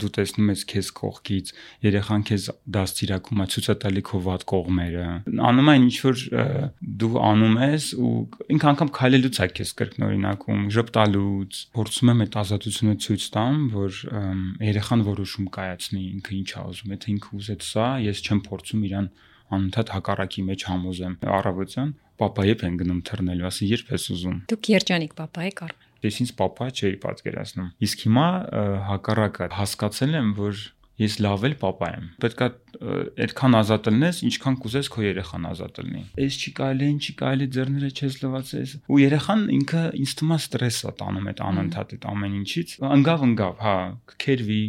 դու տեսնում ես քեզ կողքից, երեխան քեզ դաստիարակում է, ցույց է տալի քո վատ կողմերը։ Անում է ինչ որ դու անում ես ու ինքը անգամ քայլելուց է քեզ կրկնօրինակում, ժպտալուց, փորձում եմ այդ ազատությունը ցույց տամ, որ երեխան որոշում կայացնի ինքը ինչ է ուզում, եթե ինքը ուզեց սա, ես չեմ փորձում իրան անընդհատ հակառակի մեջ համոզեմ։ Առավոտյան պապա երբ են գնում թռնելու, ասի երբ ես ուզում։ Դուք երջանիկ պապա եք Արմեն։ Ես ինձ պապա չէի պատկերացնում։ Իսկ հիմա հակառակը հասկացել եմ, որ ես լավ էլ պապա եմ։ Պետք է այդքան ազատ լինես, ինչքան կուզես քո երեխան ազատ լինի։ Էս չի կարելի, այն չի կարելի, ձեռները չես լվացես։ Ու երեխան ինքը ինձ թվում է ստրես է տանում այդ անընդհատ այդ ամեն ինչից։ Ընկավ, հա, կքերվի,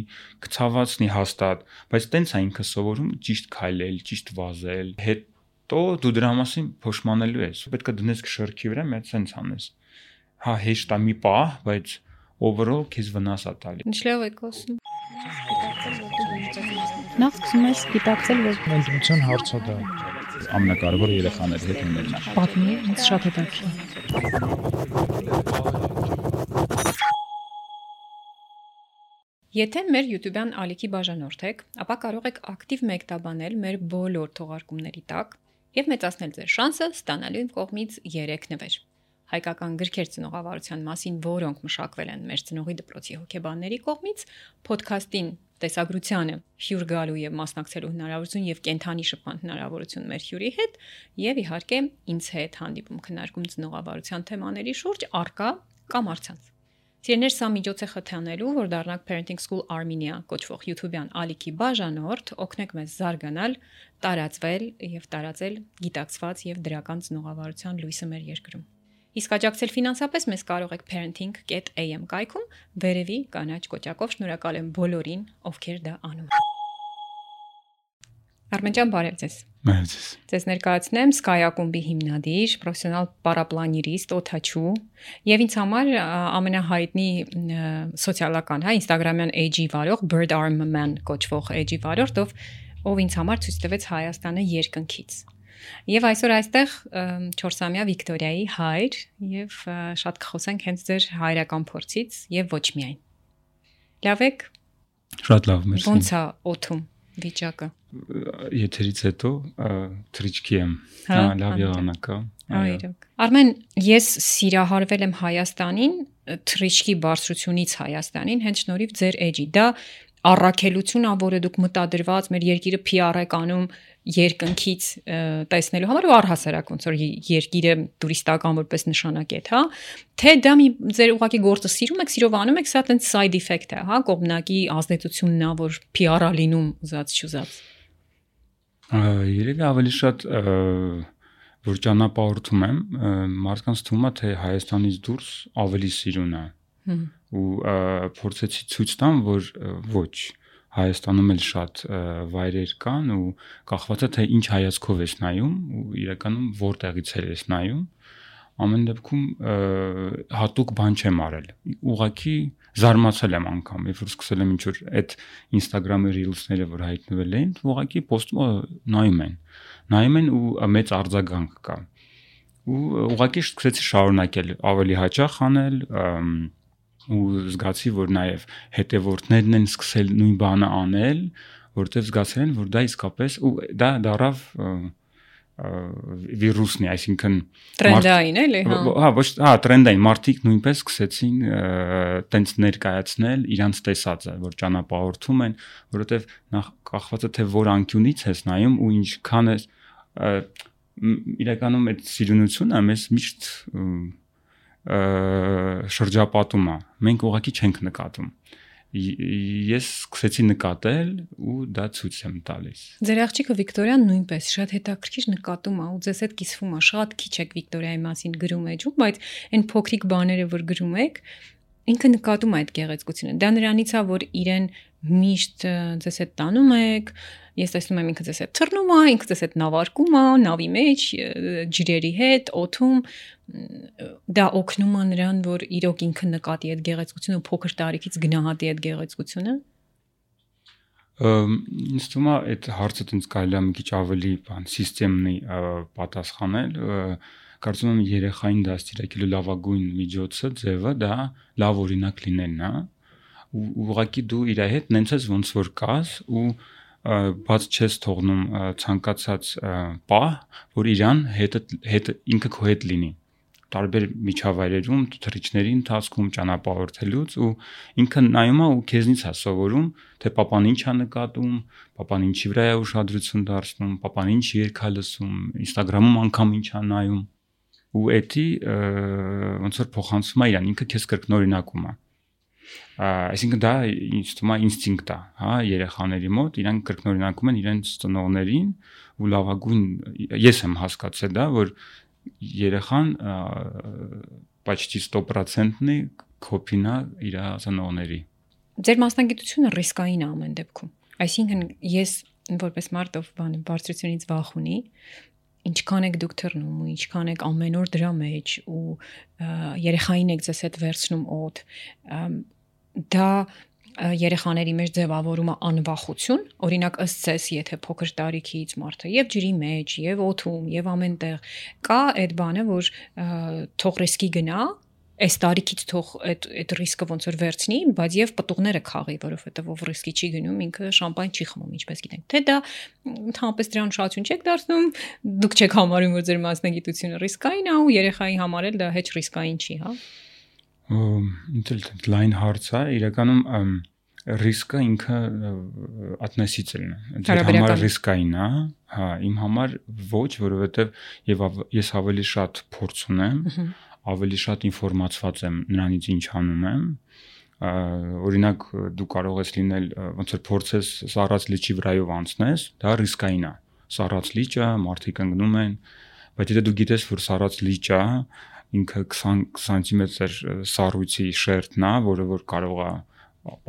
կցավացնի հաստատ, բայց տենց է ինքը սովորում ճիշտ քայլել, ճիշտ վազել։ Հետո դու դրա մասին փոշմանելու ես։ Պետք է դնես քշերքի վրա, մեծ սենց անես։ Հա, հեշտ է մի պահ, բայց overall քեզ վնաս է տալի։ Ինչ լավ եք ասում։ Նախ սկսում ես գիտակցել, որ ընտրության հարցը դա ամենակարևորը երեխաների հետ ունենալն է։ պատմի, ինձ շատ հետաքրքիր։ Եթե մեր YouTube-յան ալիքի բաժանորդ եք, ապա կարող եք ակտիվ մեկտաբանել մեր բոլոր թողարկումների տակ եւ մեծացնել ձեր շանսը ստանալու իմ կողմից 3 նվեր։ Հայկական գրքեր ծնողավարության մասին, որոնք մշակվել են մեր ծնողի դպրոցի հոգեբանների կողմից, ոդքասթին տեսագրությանը հյուր գալու եւ մասնակցելու հնարավորություն եւ կենթանի շփման հնարավորություն մեր հյուրի հետ եւ իհարկե ինձ հետ հանդիպում քննարկում ծնողավարության թեմաների շուրջ արկա կամ առցանց։ Սիրելիներ, սա միջոց է խթանելու, որ դառնաք Parenting School Armenia կոչվող YouTube-յան ալիքի բաժանորդ, օգնեք մեզ զարգանալ, տարածվել եւ տարածել գիտակցված եւ դրական ծնողավարության լույսը մեր երկրում։ Իսկ աջակցել ֆինանսապես մեզ կարող եք parenting.am կայքում վերևի կանաչ կոճակով։ Շնորհակալ եմ բոլորին, ովքեր դա անում են։ Արմեն ջան, բարև ձեզ։ Բարև ձեզ։ Ձեզ ներկայացնեմ Sky ակումբի հիմնադիր, պրոֆեսիոնալ պարապլանիրիստ, օդաչու եւ ինձ համար ամենահայտնի սոցիալական, Instagram-յան էջի վարող Bird Arm Man կոչվող էջի վարորդ, ով ինձ համար ցույց տվեց Հայաստանը երկնքից։ Եվ այսօր այստեղ 4-ամյա Վիկտորիայի հայր եւ շատ կխոսենք հենց ձեր հայրական փորձից եւ ոչ միայն։ Լավ եք։ Շատ լավ, մերսի։ Ոնց է օդում վիճակը։ Եթերից հետո թրիչքի եմ։ Լավ եղանակ է։ Այրոք։ Արմեն, ես սիրահարվել եմ Հայաստանին, թրիչքի բարձրությունից Հայաստանին, հենց շնորհիվ ձեր էջի։ Դա առաքելություն ա, որը դուք մտադրված մեր երկիրը PR եք անում երկնքից տեսնելու համար ու առհասարակ ոնց որ երկիրը տուրիստական որպես նշանակետ, հա, թե դա մի ձեր ուղղակի գործը սիրում եք, սիրով անում եք, սա տենց side effect է, հա, կողմնակի ազդեցությունն է, որ PR-ա լինում ուզած չուզած։ Երևի ավելի շատ որ ճանապարհորդում եմ, մարդկանց թվում է թե Հայաստանից դուրս ավելի սիրուն է։ Ու փորձեցի ցույց տամ, որ ոչ, Հայաստանում էլ շատ վայրեր կան ու կախված է թե ինչ հայացքով ես նայում ու իրականում որտեղից ես նայում, ամեն դեպքում հատուկ բան չեմ արել։ Ուղղակի զարմացել եմ անգամ, երբ որ սկսել եմ ինչ որ այդ Instagram-ի reels-ները որ հայտնվել էին, ուղղակի post-ը նայում են ու մեծ արձագանք կա։ Ու ուղղակի սկսեցի շարունակել ավելի հաճախ անել ու զգացի, որ նաև հետևորդներն են սկսել նույն բանը անել, որտեղ զգացել են, որ դա իսկապես ու դա դարավ վիրուսն է, այսինքն տրենդային էլի, հա։ Հա, ոչ, հա, տրենդային մարդիկ նույնպես սկսեցին տենց ներկայացնել իրանց տեսածը, որ ճանապարհորդում են, որովհետև նախ կախված է թե որ անկյունից ես նայում ու ինչքան է իրականում այդ սիրունությունը մեզ միշտ շրջապատում է, մենք ուղղակի չենք նկատում։ Ես սկսեցի նկատել ու դա ցույց եմ տալիս։ Ձեր աղջիկը Վիկտորիան նույնպես շատ հետաքրքիր նկատում է ու ձեզ հետ կիսվում է, շատ քիչ եք Վիկտորիայի մասին գրում էջում, բայց այն փոքրիկ բաները, որ գրում եք, ինքը նկատում է այդ գեղեցկությունը։ Դա նրանից է, որ իրեն միշտ ձեզ հետ տանում եք, ես տեսնում եմ ինքը ձեզ հետ թռնում է, ինքը ձեզ հետ նավարկում է, նավի մեջ, ջրերի հետ, օդում, դա օգնում է նրան, որ իրոք ինքը նկատի այդ գեղեցկությունը, փոքր տարիքից գնահատի այդ գեղեցկությունը։ Ինձ թվում է այդ հարցը տենց կարելի է մի քիչ ավելի սիստեմնի պատասխանել, կարծում եմ երեխային դաստիարակելու լավագույն միջոցը, ձևը դա լավ օրինակ լինելն է, ու ուղղակի դու իր հետ նենց ես ոնց որ կաս ու բաց չես թողնում ցանկացած պահ, որ իրան հետ ինքը քո հետ լինի տարբեր միջավայրերում, թռիչքների ընթացքում ճանապարհորդելուց ու ինքը նայում է ու քեզնից է սովորում, թե papan ինչ է նկատում, papan ինչի վրա է ուշադրություն դարձնում, papan ինչ երգ է լսում, Instagram-ում անգամ ինչ է նայում ու էդի ոնց որ փոխանցում է իրան, ինքը քեզ կրկնօրինակում է։ Այսինքն դա ինձ թվում է ինստինկտ է, հա, երեխաների մոտ, իրանք կրկնօրինակում են իրենց ծնողներին ու լավագույն ես եմ հասկացել դա, որ երեխան почти 100%-ի կոպին է իր ծնողների։ Ձեր մասնագիտությունը ռիսկային է ամեն դեպքում։ Այսինքն ես որպես մարդ ով բարձրությունից վախ ունի, ինչքան եք դուք թռնում ու ինչքան եք ամեն օր դրա մեջ ու երեխային եք ձեզ հետ վերցնում օդ, դա երեխաների մեջ ձևավորում է անվախություն, օրինակ ըստ ձեզ, եթե փոքր տարիքից մարդը եւ ջրի մեջ, եւ օդում, եւ ամենտեղ կա այդ բանը, որ թող ռիսկի գնա, այս տարիքից թող այդ ռիսկը ոնց որ վերցնի, բայց եւ պտուղները քաղի, որովհետեւ ով ռիսկի չի գնում, ինքը շամպայն չի խմում, ինչպես գիտենք։ Թե դա ընդհանրապես դրան շատություն չեք դարձնում, դուք չեք համարում, որ ձեր մասնագիտությունը ռիսկային է ու երեխայի համար էլ դա հեչ ռիսկային չի, հա։ Լայն հարց է, իրականում ռիսկը ինքը ատնեսիցելն է։ Ձեր համար ռիսկային է, հա, իմ համար ոչ, որովհետև ես ավելի շատ փորձ ունեմ, ավելի շատ ինֆորմացված եմ նրանից ինչ անում եմ։ Օրինակ դու կարող ես լինել ոնց որ փորձես սառած լիճի վրայով անցնես, դա ռիսկային է։ Սառած լիճը, մարդիկ ընկնում են, բայց եթե դու գիտես, որ սառած լիճը ինքը 20 սանտիմետր սառույցի շերտն է, որը որ կարող է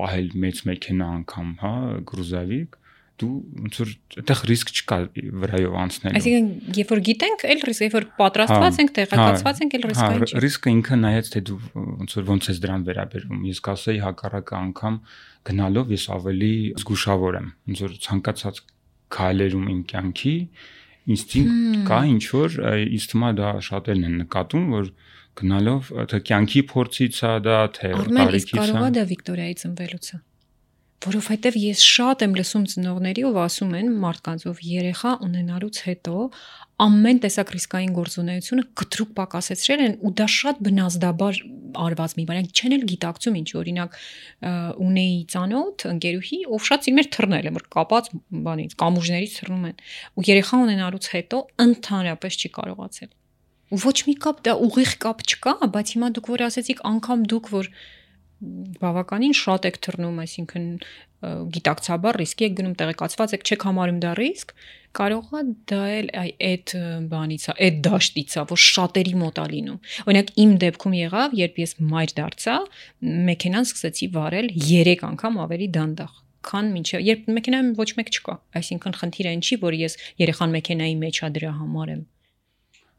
պահել մեծ մեքենա անգամ, հա, գրուզավիկ, դու ոնց որ այդտեղ ռիսկ չկա վրայով անցնելու։ Այսինքն, երբ որ գիտենք, այլ ռիսկ, երբ որ պատրաստված ենք, տեղեկացված ենք, այլ ռիսկային չի։ Ռիսկը ինքը նայած թե դու ոնց ես դրան վերաբերվում։ Ես կասեի հակառակը անգամ գնալով ես ավելի զգուշավոր եմ, ոնց որ ցանկացած քայլերում իմ կյանքի ինստինկտ կա, ինչ որ ինձ թվում է դա շատերն են նկատում, որ գնալով թե կյանքի փորձից է դա, թե տարիքից է։ Կարողա դա Վիկտորիայի ծնվելուց է։ Որովհետև ես շատ եմ լսում ծնողների, ով ասում են մարդկանց, ով երեխա ունենալուց հետո ամեն տեսակ ռիսկային գործունեությունը կտրուկ պակասեցրել են ու դա շատ բնազդաբար արված մի բան, չեն էլ գիտակցում ինչ, օրինակ ունեի ծանոթ ընկերուհի, ով շատ սիրում էր թռնել, որ կապած բանից, կամուրջներից թռնում են ու երեխա ունենալուց հետո ընդհանրապես չի կարողացել։ Ու ոչ մի կապ, դա ուղիղ կապ չկա, բայց հիմա դուք որ ասեցիք, անգամ դուք որ բավականին շատ եք թռնում, այսինքն գիտակցաբար ռիսկի եք գնում, տեղեկացված եք, չեք համարում դա ռիսկ, կարող է դա էլ այդ բանից է, այդ դաշտից է, որ շատերի մոտ է լինում։ Օրինակ իմ դեպքում եղավ, երբ ես մայր դարձա, մեքենան սկսեցի վարել 3 անգամ ավելի դանդաղ, քան մինչև երբ մեքենայում ոչ մեկ չկա, այսինքն խնդիրը այն չի, որ ես երեխան մեքենայի մեջ է դրա համար եմ։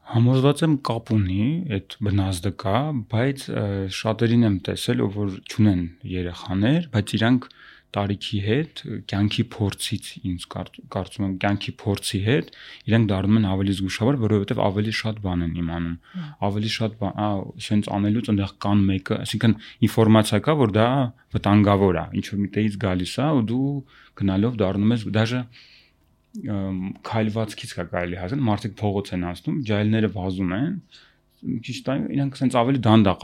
Համոզված եմ կապ ունի, այդ բնազդը կա, բայց շատերին եմ տեսել, ով որ չունեն երեխաներ, բայց իրանք տարիքի հետ, կյանքի փորձից ինձ կարծում եմ կյանքի փորձի հետ, իրանք դառնում են ավելի զգուշավոր, որովհետև ավելի շատ բան են իմանում, ավելի շատ բան, ասենց անելուց այնտեղ կան մեկը, այսինքն ինֆորմացիա կա, որ դա վտանգավոր է, ինչ որ միտեղից գալիս է ու դու գնալով դառնում ես դաժե քայլվածքից կա կարելի հասնել, մարդիկ փողոց են անցնում, ջահելները վազում են, ճիշտ է, իրանք ասենց ավելի դանդաղ,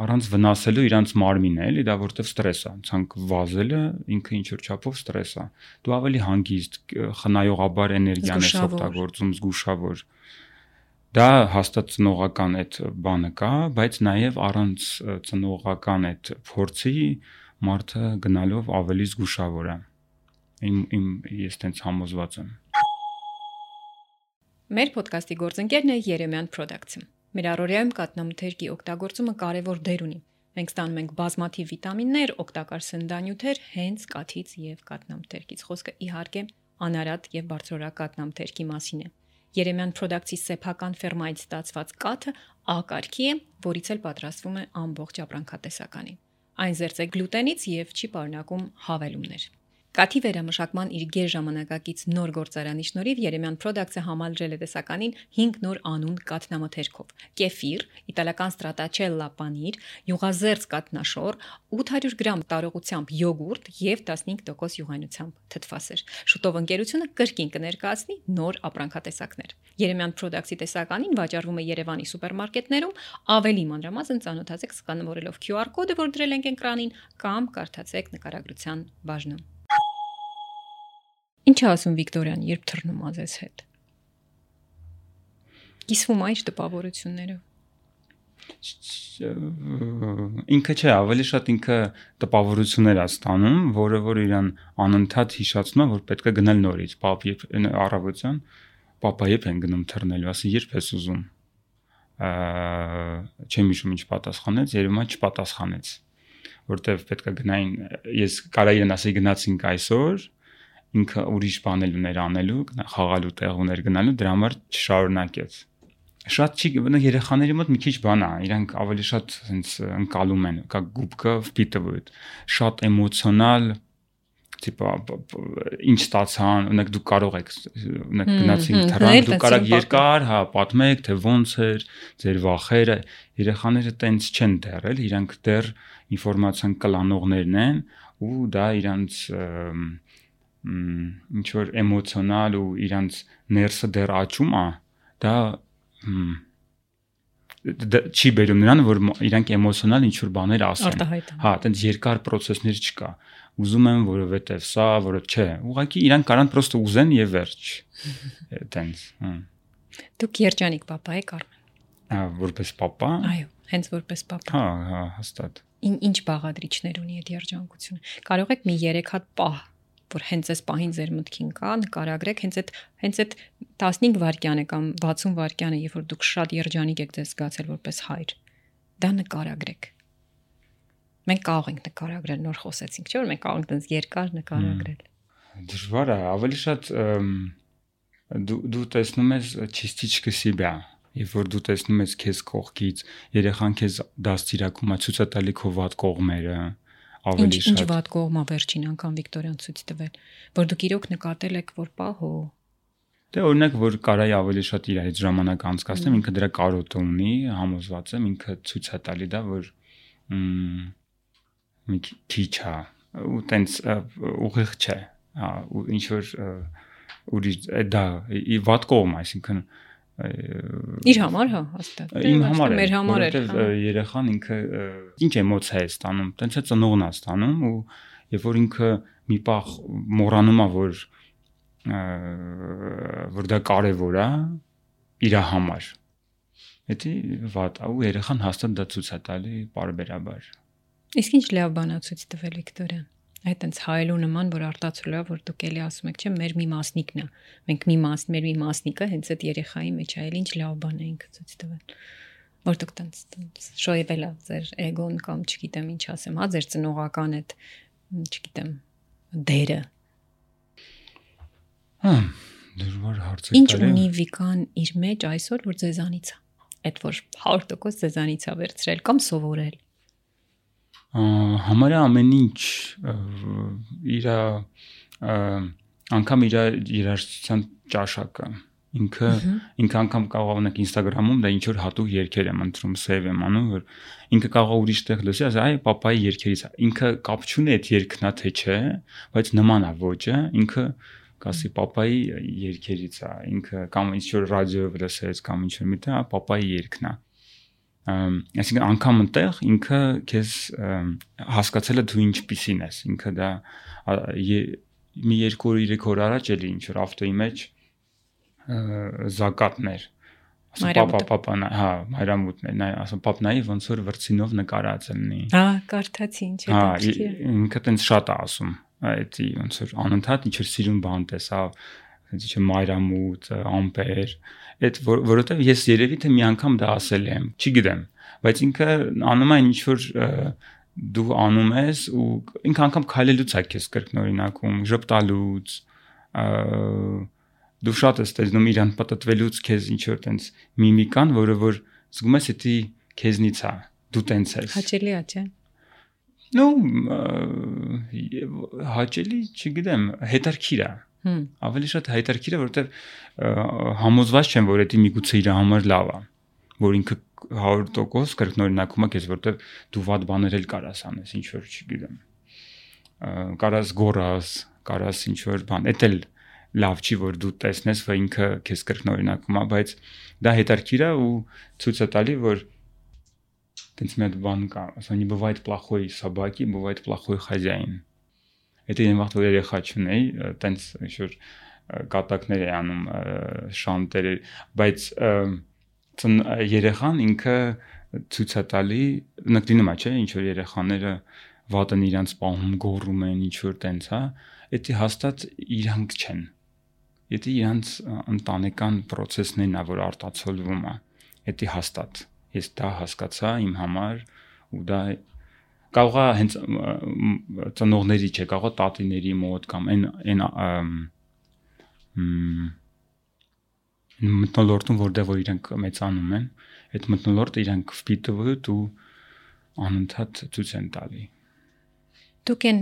առանց վնասելու իրանց մարմինը, էլի, դա որտեվ ստրես է, ցանկ վազելը ինքը ինչ որ չափով ստրես է։ Դու ավելի հանգիստ, խնայողաբար էներգիան ես օգտագործում, զգուշավոր։ Դա հաստատ ծնողական այդ բանը կա, բայց նաև առանց ծնողական այդ փորձի մարդը գնալով ավելի զգուշավոր է։ Ես տենց համոզված եմ։ Մեր ոդկասթի գործընկերն է Երեմյան Production։ Մեր առօրյայում կաթնամթերքի օգտագործումը կարևոր դեր ունի։ Մենք ստանում ենք բազմաթիվ վիտամիններ, օգտակար սննդանյութեր հենց կաթից եւ կաթնամթերքից։ Խոսքը իհարկե անարատ եւ բարձրորակ կաթնամթերքի մասին է։ Երեմյան Production-ի սեփական ֆերմայից ստացված կաթը A կարգի է, որից էլ պատրաստվում է ամբողջ ապրանքատեսականի։ Այն զերծ է գլուտենից եւ չի պարունակում հավելումներ։ Կաթի վերամշակման իր գեր ժամանակակից նոր գործարանի շնորհիվ Երեմյան Products-ը համալրել է տեսականին 5 նոր անուն կաթնամթերքով՝ կեֆիր, իտալական ստրատաչելլա պանիր, յուղազերծ կաթնաշոր, 800 գրամ տարողությամբ յոգուրտ եւ 15% յուղայնությամբ թթվասեր։ Շուտով ընկերությունը կրկին կներկայացնի նոր ապրանքատեսակներ։ Երեմյան Products-ի տեսականին վաճառվում է Երևանի սուպերմարկետներում, ավելի մանրամասն ծանոթացեք սկանավորելով QR կոդը, որ դրել ենք էկրանին, կամ կարդացեք նկարագրության բաժնում։ Ինչ ասում Վիկտորյան, երբ թռնում ա ձեզ հետ։ Կիսվում ա ինչ տպավորություններով։ Ինքը չէ, ավելի շատ ինքը տպավորություններ է ստանում, որը որ իրան անընդհատ հիշացնում է, որ պետք է գնալ նորից, պապ երբ առավոտյան, պապա երբ են գնում թռնելու, ասի երբ ես ուզում։ Չեմ հիշում ինչ պատասխանեց, երևի չպատասխանեց, որտեվ պետք է գնային, ես կարա իրեն ասեի գնացինք այսօր, ինքը ուրիշ բաներ ուներ անելու, խաղալու տեղ ուներ գնալու, դրա համար չշարունակեց։ Շատ չի, երեխաների մոտ մի քիչ բան է, իրանք ավելի շատ հենց ընկալում են, как губка впитывают, շատ էմոցիոնալ, տիպա ինչ ստացան, օրինակ դուք կարող եք, օրինակ գնացինք թռան, դուք կարող երկար, հա, պատմեք, թե ոնց էր, ձեր վախերը, երեխաները տենց չեն դեռ, իրանք դեռ ինֆորմացիան կլանողներն են ու դա իրանք ինչ որ էմոցիոնալ ու իրանց ներսը դեռ աճում է, դա չի բերում նրան, որ իրանք էմոցիոնալ ինչ որ բաներ ասեն։ Հա, այտենց երկար process-ներ չկա։ Ուզում եմ, որովհետև սա, որը չէ։ Ուղղակի իրանք կարան պրոստը ուզեն եւ վերջ։ Այտենց։ Դուք երջանիկ պապա եք Արմեն։ Հա, որպես պապա։ Այո, հենց որպես պապա։ Հա, հաստատ։ Ինչ բաղադրիչներ ունի այդ երջանկությունը։ Կարող եք մի 3 հատ պահ որ հենց այս պահին ձեր մտքին կա, նկարագրեք հենց այդ 15 վայրկյանը կամ 60 վայրկյանը, երբ որ դուք շատ երջանիկ եք ձեզ զգացել որպես հայր, դա նկարագրեք։ Մենք կարող ենք նկարագրել, նոր խոսեցինք, չէ՞ որ մենք կարող ենք այդպես երկար նկարագրել։ Դժվար է, ավելի շատ դու տեսնում ես частичка себя, երբ որ դու տեսնում ես քեզ կողքից, երեխան քեզ դաստիարակում է, ցույց է տալի քո վատ կողմերը։ Ինչ վատ կողմա վերջին անգամ Վիկտորյան ցույց տվել, որ դուք իրոք նկատել եք, որ պահո։ Դե օրինակ, որ կարայի ավելի շատ իր հետ ժամանակ անցկացնեմ, ինքը դրա կարոտը ունի, համոզված եմ, ինքը ցույց է տալի դա, որ մի քիչ է, ու տենց ուղիղ չէ, հա, ու ինչ որ ուրիշ դա վատ կողմ, այսինքն իր համար, հա, հաստատ։ Իմ համար է, մեր համար է, որովհետև երեխան ինքը ինչ էմոցիա է ստանում, տենց է ծնողն է ստանում ու երբ որ ինքը մի պահ մոռանում է, որ դա կարևոր է իր համար։ Դա վատ է ու երեխան հաստատ դա ցույց է տալի պարբերաբար։ Իսկ ինչ լավ բան է ցույց տվել Վիկտորյան։ Այդ այնց հայելու նման, որ արտացոլա, որ դուք էլի ասում եք, չէ՞, մեր մի մասնիկն է։ Մենք մեր մի մասնիկը հենց այդ երեխայի մեջ է, ինչ լավ բան է ինքը ցույց տվել։ Որ դուք տենց շոյվել է ձեր էգոն կամ չգիտեմ ինչ ասեմ, հա, ձեր ծնողական այդ, չգիտեմ, դերը։ Հա, դժվար հարց է։ Ինչ ունի Վիկան իր մեջ այսօր, որ ձեզանից է։ Այդ որ 100% ձեզանից է վերցրել կամ սովորել։ Համարյա ամեն ինչ իր անգամ իր երաժշտության ճաշակը ինքը անգամ կարող ունեք Instagram-ում դա ինչ որ հատուկ երգեր եմ ընտրում, save եմ անում, որ ինքը կարող ուրիշ տեղ լսի, ասի, այ պապայի երգերից է։ Ինքը կապ չունի այդ երգն է թե չէ, բայց նման է ոճը, ինքը կասի պապայի երգերից է, ինքը կամ ինչ որ ռադիոյով լսեց կամ ինչ որ միտեղ, պապայի երգն է։ Այսինքն անգամ այնտեղ ինքը քեզ հասկացել է դու ինչպիսին ես, ինքը դա մի 2-3 օր առաջ էլի ինչ որ ավտոյի մեջ զակատներ, ասում պապան, հա, մայրամուտներ, ասում պապ նայի ոնց որ վրցինով նկարած լինի։ Հա, կարդացի ինչ է։ Հա, ինքը տենց շատ է ասում, այդ ոնց որ անընդհատ ինչ որ սիրուն բան տեսավ, ինչ որ մայրամուտ, ամպեր, այդ որովհետև ես երևի թե մի անգամ դա ասել եմ, չգիտեմ, բայց ինքը անում է ինչ որ դու անում ես ու ինքը անգամ քայլելուց է քեզ կրկնօրինակում, ժպտալուց, դու շատ ես տեսնում իրան պատտվելուց քեզ ինչ որ տենց միմիկան, որը որ զգում ես էդի քեզնից է, դու տենց ես։ Հաճելի է, չէ՞։ նո հաճելի, չգիտեմ, հետարքիր է։ Ավելի շատ հետարքիր է, որովհետև համոզված չեմ, որ դա միգուցե իր համար լավ է, որ ինքը 100% կրկնօրինակում է քեզ, որովհետև դու վատ բաներ էլ կարաս անես, ինչ որ չգիտեմ։ Կարաս գորաս, կարաս ինչ որ բան, դա էլ լավ չի, որ դու տեսնես, որ ինքը քեզ կրկնօրինակում է, բայց դա հետարքիր է ու ցույց է տալի, որ տենց մի հատ բան կա, ասանի бывает плохой собаки, бывает плохой хозяин։ Դա այն վաղ որ երեխա չունեի, տենց ինչ որ կատակներ է անում շանտեր, բայց երեխան ինքը ցույց է տալի, նկատինում է, չէ, ինչ որ երեխաները վատ են իրանց պահում, գոռում են, ինչ որ տենց, հա, դա հաստատ իրանք չեն։ Դա իրանց ընտանեկան process-ներն է, որ արտացոլվում է։ Դա հաստատ։ Ես դա հասկացա իմ համար ու դա կարող է հենց ծնողների չէ, կարող է տատիների մոտ կամ այն մտնոլորտում, որտեղ որ իրանք մեծանում են, այդ մտնոլորտը իրանք վպիտվդ ու անընդհատ ցույց են տալի։ Դուք են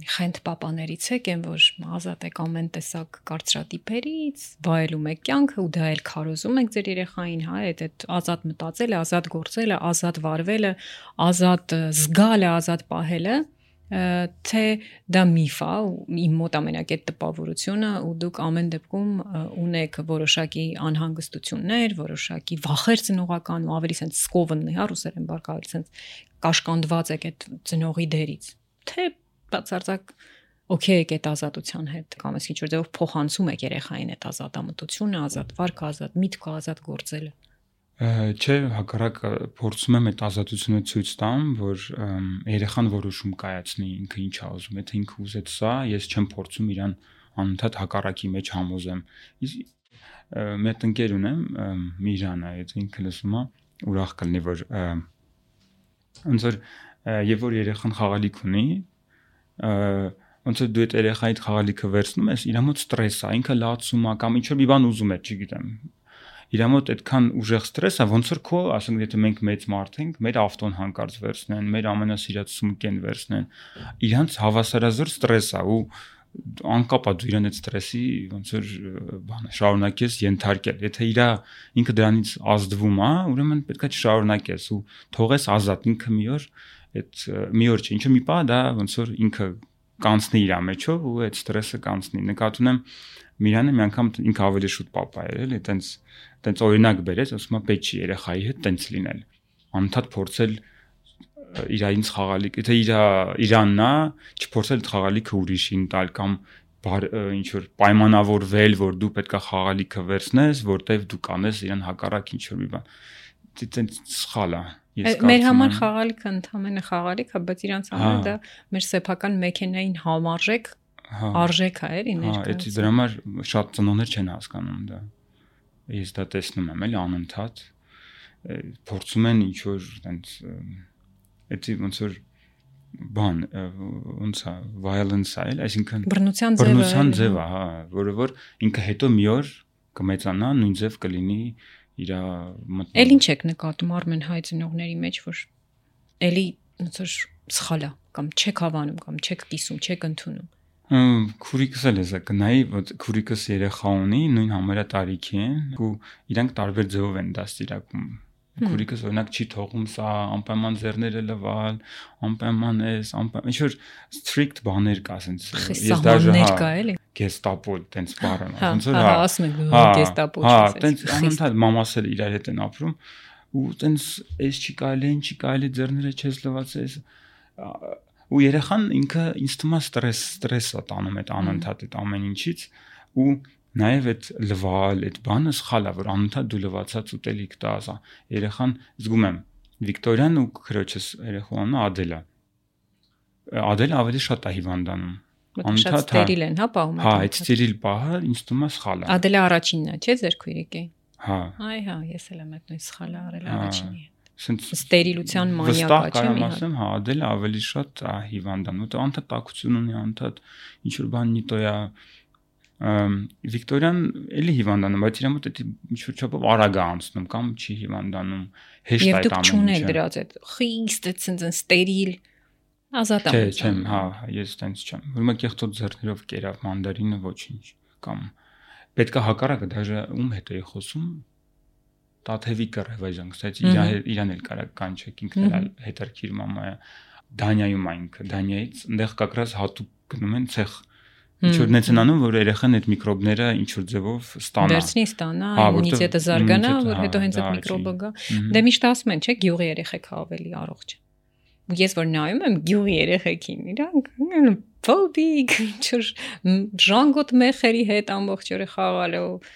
խենթ պապաներից եք, են որ ազատ եք ամեն տեսակ կարծրատիպերից, վայելում եք կյանքը ու դա էլ քարոզում եք ձեր երեխային, հա, այդ ազատ մտածելը, ազատ գործելը, ազատ վարվելը, ազատ զգալը, ազատ պահելը, թե դա միֆ է, իմ մոտ ամենակետ տպավորությունը ու դուք ամեն դեպքում ունեք որոշակի անհանգստություններ, որոշակի վախեր ծնողական ու ավելի sense սկովնն է, հա, ռուսերեն բառը sense կաշկանդված եք այդ ծնողի դերից։ Թե բացարձակ օքեյ եք այդ ազատության հետ կամ ինչ որ ձևով փոխանցում եք երեխային այդ ազատամտությունը, ազատ վարքը, ազատ միտքը, ազատ գործելը։ Չէ, հակառակը փորձում եմ այդ ազատությունը ցույց տամ, որ երեխան որոշում կայացնի ինքը ինչ է ուզում, եթե ինքը ուզեց սա, ես չեմ փորձում իրան անընդհատ հակառակի մեջ համոզեմ։ Մի հատ ընկեր ունեմ, Միրանը, այդ ինքը լսում է, ուրախ կլինի, որ ոնց որ եւ որ երեխան խաղալիք ունի, ոնց որ դու այդ երեխայիդ խաղալիքը վերցնում ես, իր մոտ ստրես է, ինքը լացում է կամ ինչ որ մի բան ուզում է, չգիտեմ։ Իր մոտ այդքան ուժեղ ստրես է, ոնց որ քո, ասենք, եթե մենք մեծ մարդ ենք, մեր ավտոն հանկարծ վերցնեն, մեր ամենասիրած սումկեն վերցնեն, իրանց հավասարազոր ստրես է ու անկապ է դու իրան այդ ստրեսի ոնց որ բանը շարունակես ենթարկել։ Եթե ինքը դրանից ազդվում է, ուրեմն պետք է շարունակես ու թողես ազատ ինքը մի օր չէ, ինչ մի պահ դա ոնց որ ինքը կանցնի իր մեջով ու այդ ստրեսը կանցնի։ Նկատում եմ Միրանը մի անգամ ինքը ավելի շուտ պապա էր, էլի, տենց օրինակ բերեց, ասում է պետք չի երեխայի հետ տենց լինել։ Անընդհատ փորձել իրայից խաղալիք, եթե իրանն է, չփորձել խաղալիքը ուրիշին տալ կամ ինչ որ պայմանավորվել, որ դու պետքա խաղալիքը վերցնես, որտեվ դու կանես իրան հակառակ ինչ որ մի բան։ Դա սխալ է։ Մեր համար խաղալիքը ընդհանրապես խաղալիք է, բայց իրանց համար դա մեր սեփական մեքենային համարժեք արժեք է, էլի ներկայացնում։ Հա, դրա համար շատ ծնողներ չեն հասկանում դա։ Ես դա տեսնում եմ, էլի անընդհատ փորձում են ինչ որ տենց էդի ոնց որ բան ոնց է violence է, այսինքն բռնության ձև է, հա, որը որ ինքը հետո մի օր կմեծանա, նույն ձև կլինի իր մտնում։ Էլ ինչ եք նկատում Արմեն հայ ծնողների մեջ, որ էլի ոնց որ սխալ է կամ չեք հավանում կամ չեք կիսում, չեք ընդունում։ Քուրիկս էլ է կնայի, որ քուրիկս երեխա ունի, նույն համարյա տարիքի են ու իրանք տարբեր ձևով են դաստիարակում։ Քուրիկս օրինակ չի թողում սա անպայման ձեռները լվալ, անպայման էս, ինչ որ strict բաներ կա, ասենց ես դաժե հա գեստապո տենց բառը, ոնց որ հա ասում են գեստապո հա, տենց անընդհատ մամաս էլ իրար հետ են ապրում ու տենց էս չի կարելի, ինչ չի կարելի, ձեռները չես լվացես ու երեխան ինքը ինձ թվում է ստրես է տանում այդ անընդհատ այդ ամեն ինչից ու նաև այդ լվալ այդ բանը սխալ է, որ անընդհատ դու լվացած ուտելիք տաս, երեխան զգում եմ Վիկտորիան ու քրոջս երեխան Ադելը ավելի շատ է հիվանդանում անընդհատ ստերիլ են, հա, պահում։ Հա, այդ ստերիլ պահը ինձ թվում է սխալ է։ Ադելը առաջինն է, չէ՞, ձեր քույրիկի։ Հա։ Այ հա, ես էլ եմ այդ նույն սխալը արել առաջինի։ Ստերիլության մանյակա, չէ՞։ Վստահ կարամ ասեմ, հա, Ադելը ավելի շատ է հիվանդանում, ու անընդհատ տաքություն ունի, անընդհատ ինչ որ բան նիտոյա Վիկտորիան էլի հիվանդանում, բայց իր մոտ դա ինչ որ չափով արագ է անցնում կամ չի հիվանդանում, հեշտ է այդ ամենը։ Եվ դուք չունեք դրած այդ խիստ այդ ստերիլ Ազատ եմ։ Չեմ, հա, ես տենց չեմ։ Ուրեմն կեղտոտ ձեռներով կերավ մանդարինը ոչինչ կամ պետքա հակառակը դաժե ում հետ էի խոսում Տաթևի կռևայժան, կստացի իրան էլ կարա կանչեք ինքն էլ հետարքիր մամայա Դանիայում այնքը Դանիայից այնտեղ կակրած հատուկ գնում են ցեխ ինչ որ նենց են անում որ երեխան այդ միկրոբները ինչ որ ձևով ստանա վերցնի ստանա իմունիտետը զարգանա որ հետո հենց այդ միկրոբը գա դե միշտ ասում են չէ գյուղի երեխեքը ավելի առողջ ես որ նայում եմ գյուղի երեխեքին իրանք փոբիկ ինչ որ ժանգոտ մեխերի հետ ամբողջ օրը խաղալով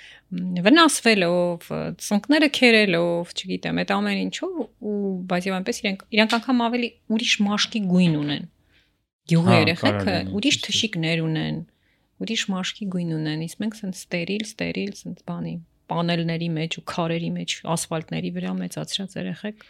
վնասվելով ծնկները քերելով չգիտեմ այդ ամեն ինչով ու բայց եւ այնպես իրանք անգամ ավելի ուրիշ մաշկի գույն ունեն գյուղի երեխեքը ուրիշ թշիկներ ունեն ուրիշ մաշկի գույն ունեն իսկ մենք սենց ստերիլ սենց բանի պանելների մեջ ու քարերի մեջ ասֆալտների վրա մեծացրած երեխեք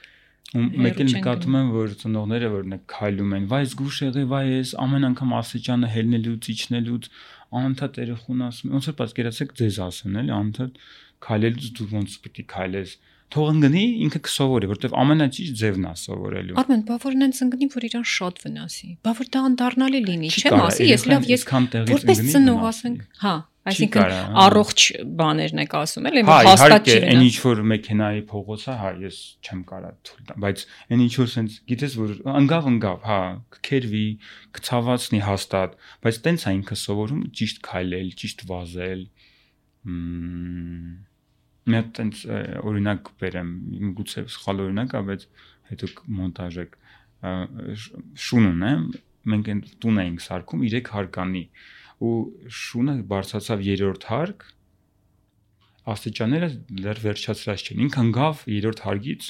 մեկ էլ նկատում եմ որ ծնողները որ քայլում են վայ զգուշ եղի վայ ես ամեն անգամ աստիճանը հելնելուց իջնելուց անընդհատ երեխուն ասում ոնց որ պատկերացեք ձեզ ասեն էլի անընդհատ քայլելուց դու ոնց պիտի քայլես թող ընկնի ինքը կսովորի որովհետև ամենաճիշտ ձևն է սովորելու Արմեն բա որ նենց ընկնի որ իրան շատ վնասի բա որ դա անդառնալի լինի չեմ ասի ես լավ ես որպես ծնող ասենք հա այսինքն առողջ բաներն եք ասում էլի հաստատ չի այն ինչ որ մեքենայի փողոցը հա ես չեմ կարա թույլ տամ բայց այն ինչ որ sense գիտես որ ընկավ հա կքերվի կցավացնի հաստատ բայց տենց է ինքը սովորում ճիշտ քայլել ճիշտ վազել Մենք տենց օրինակ բերեմ գուցե սխալ օրինակ է բայց հետո մոնտաժեք շուն ունեմ մենք այն տուն էինք սարքում 3 հարկանի ու շունը բարձրացավ 3-րդ հարկ աստիճանները դեռ վերջացրած չեն ինքը ընկավ 3-րդ հարկից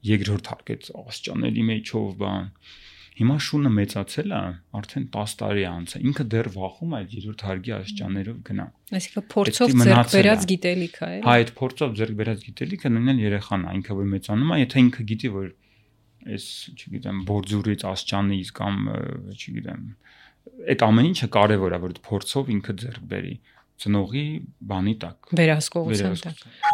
2-րդ հարկ այդ աստիճանների մեջով բան հիմա շունը մեծացել է արդեն 10 տարի անց է ինքը դեռ վախում է 3-րդ հարկի աստիճաններով գնա այսինքն փորձով ձեռք բերած գիտելիք է հա այդ փորձով ձեռք բերած գիտելիքը նույնն երեխան է ինքը որ մեծանում է եթե ինքը գիտի որ այս չգիտեմ բորձուրից աստիճանից կամ չգիտեմ այդ ամեն ինչը կարևոր է որ փորձով ինքը ձեռք բերի ծնողի բանի տակ վերահսկողության տակ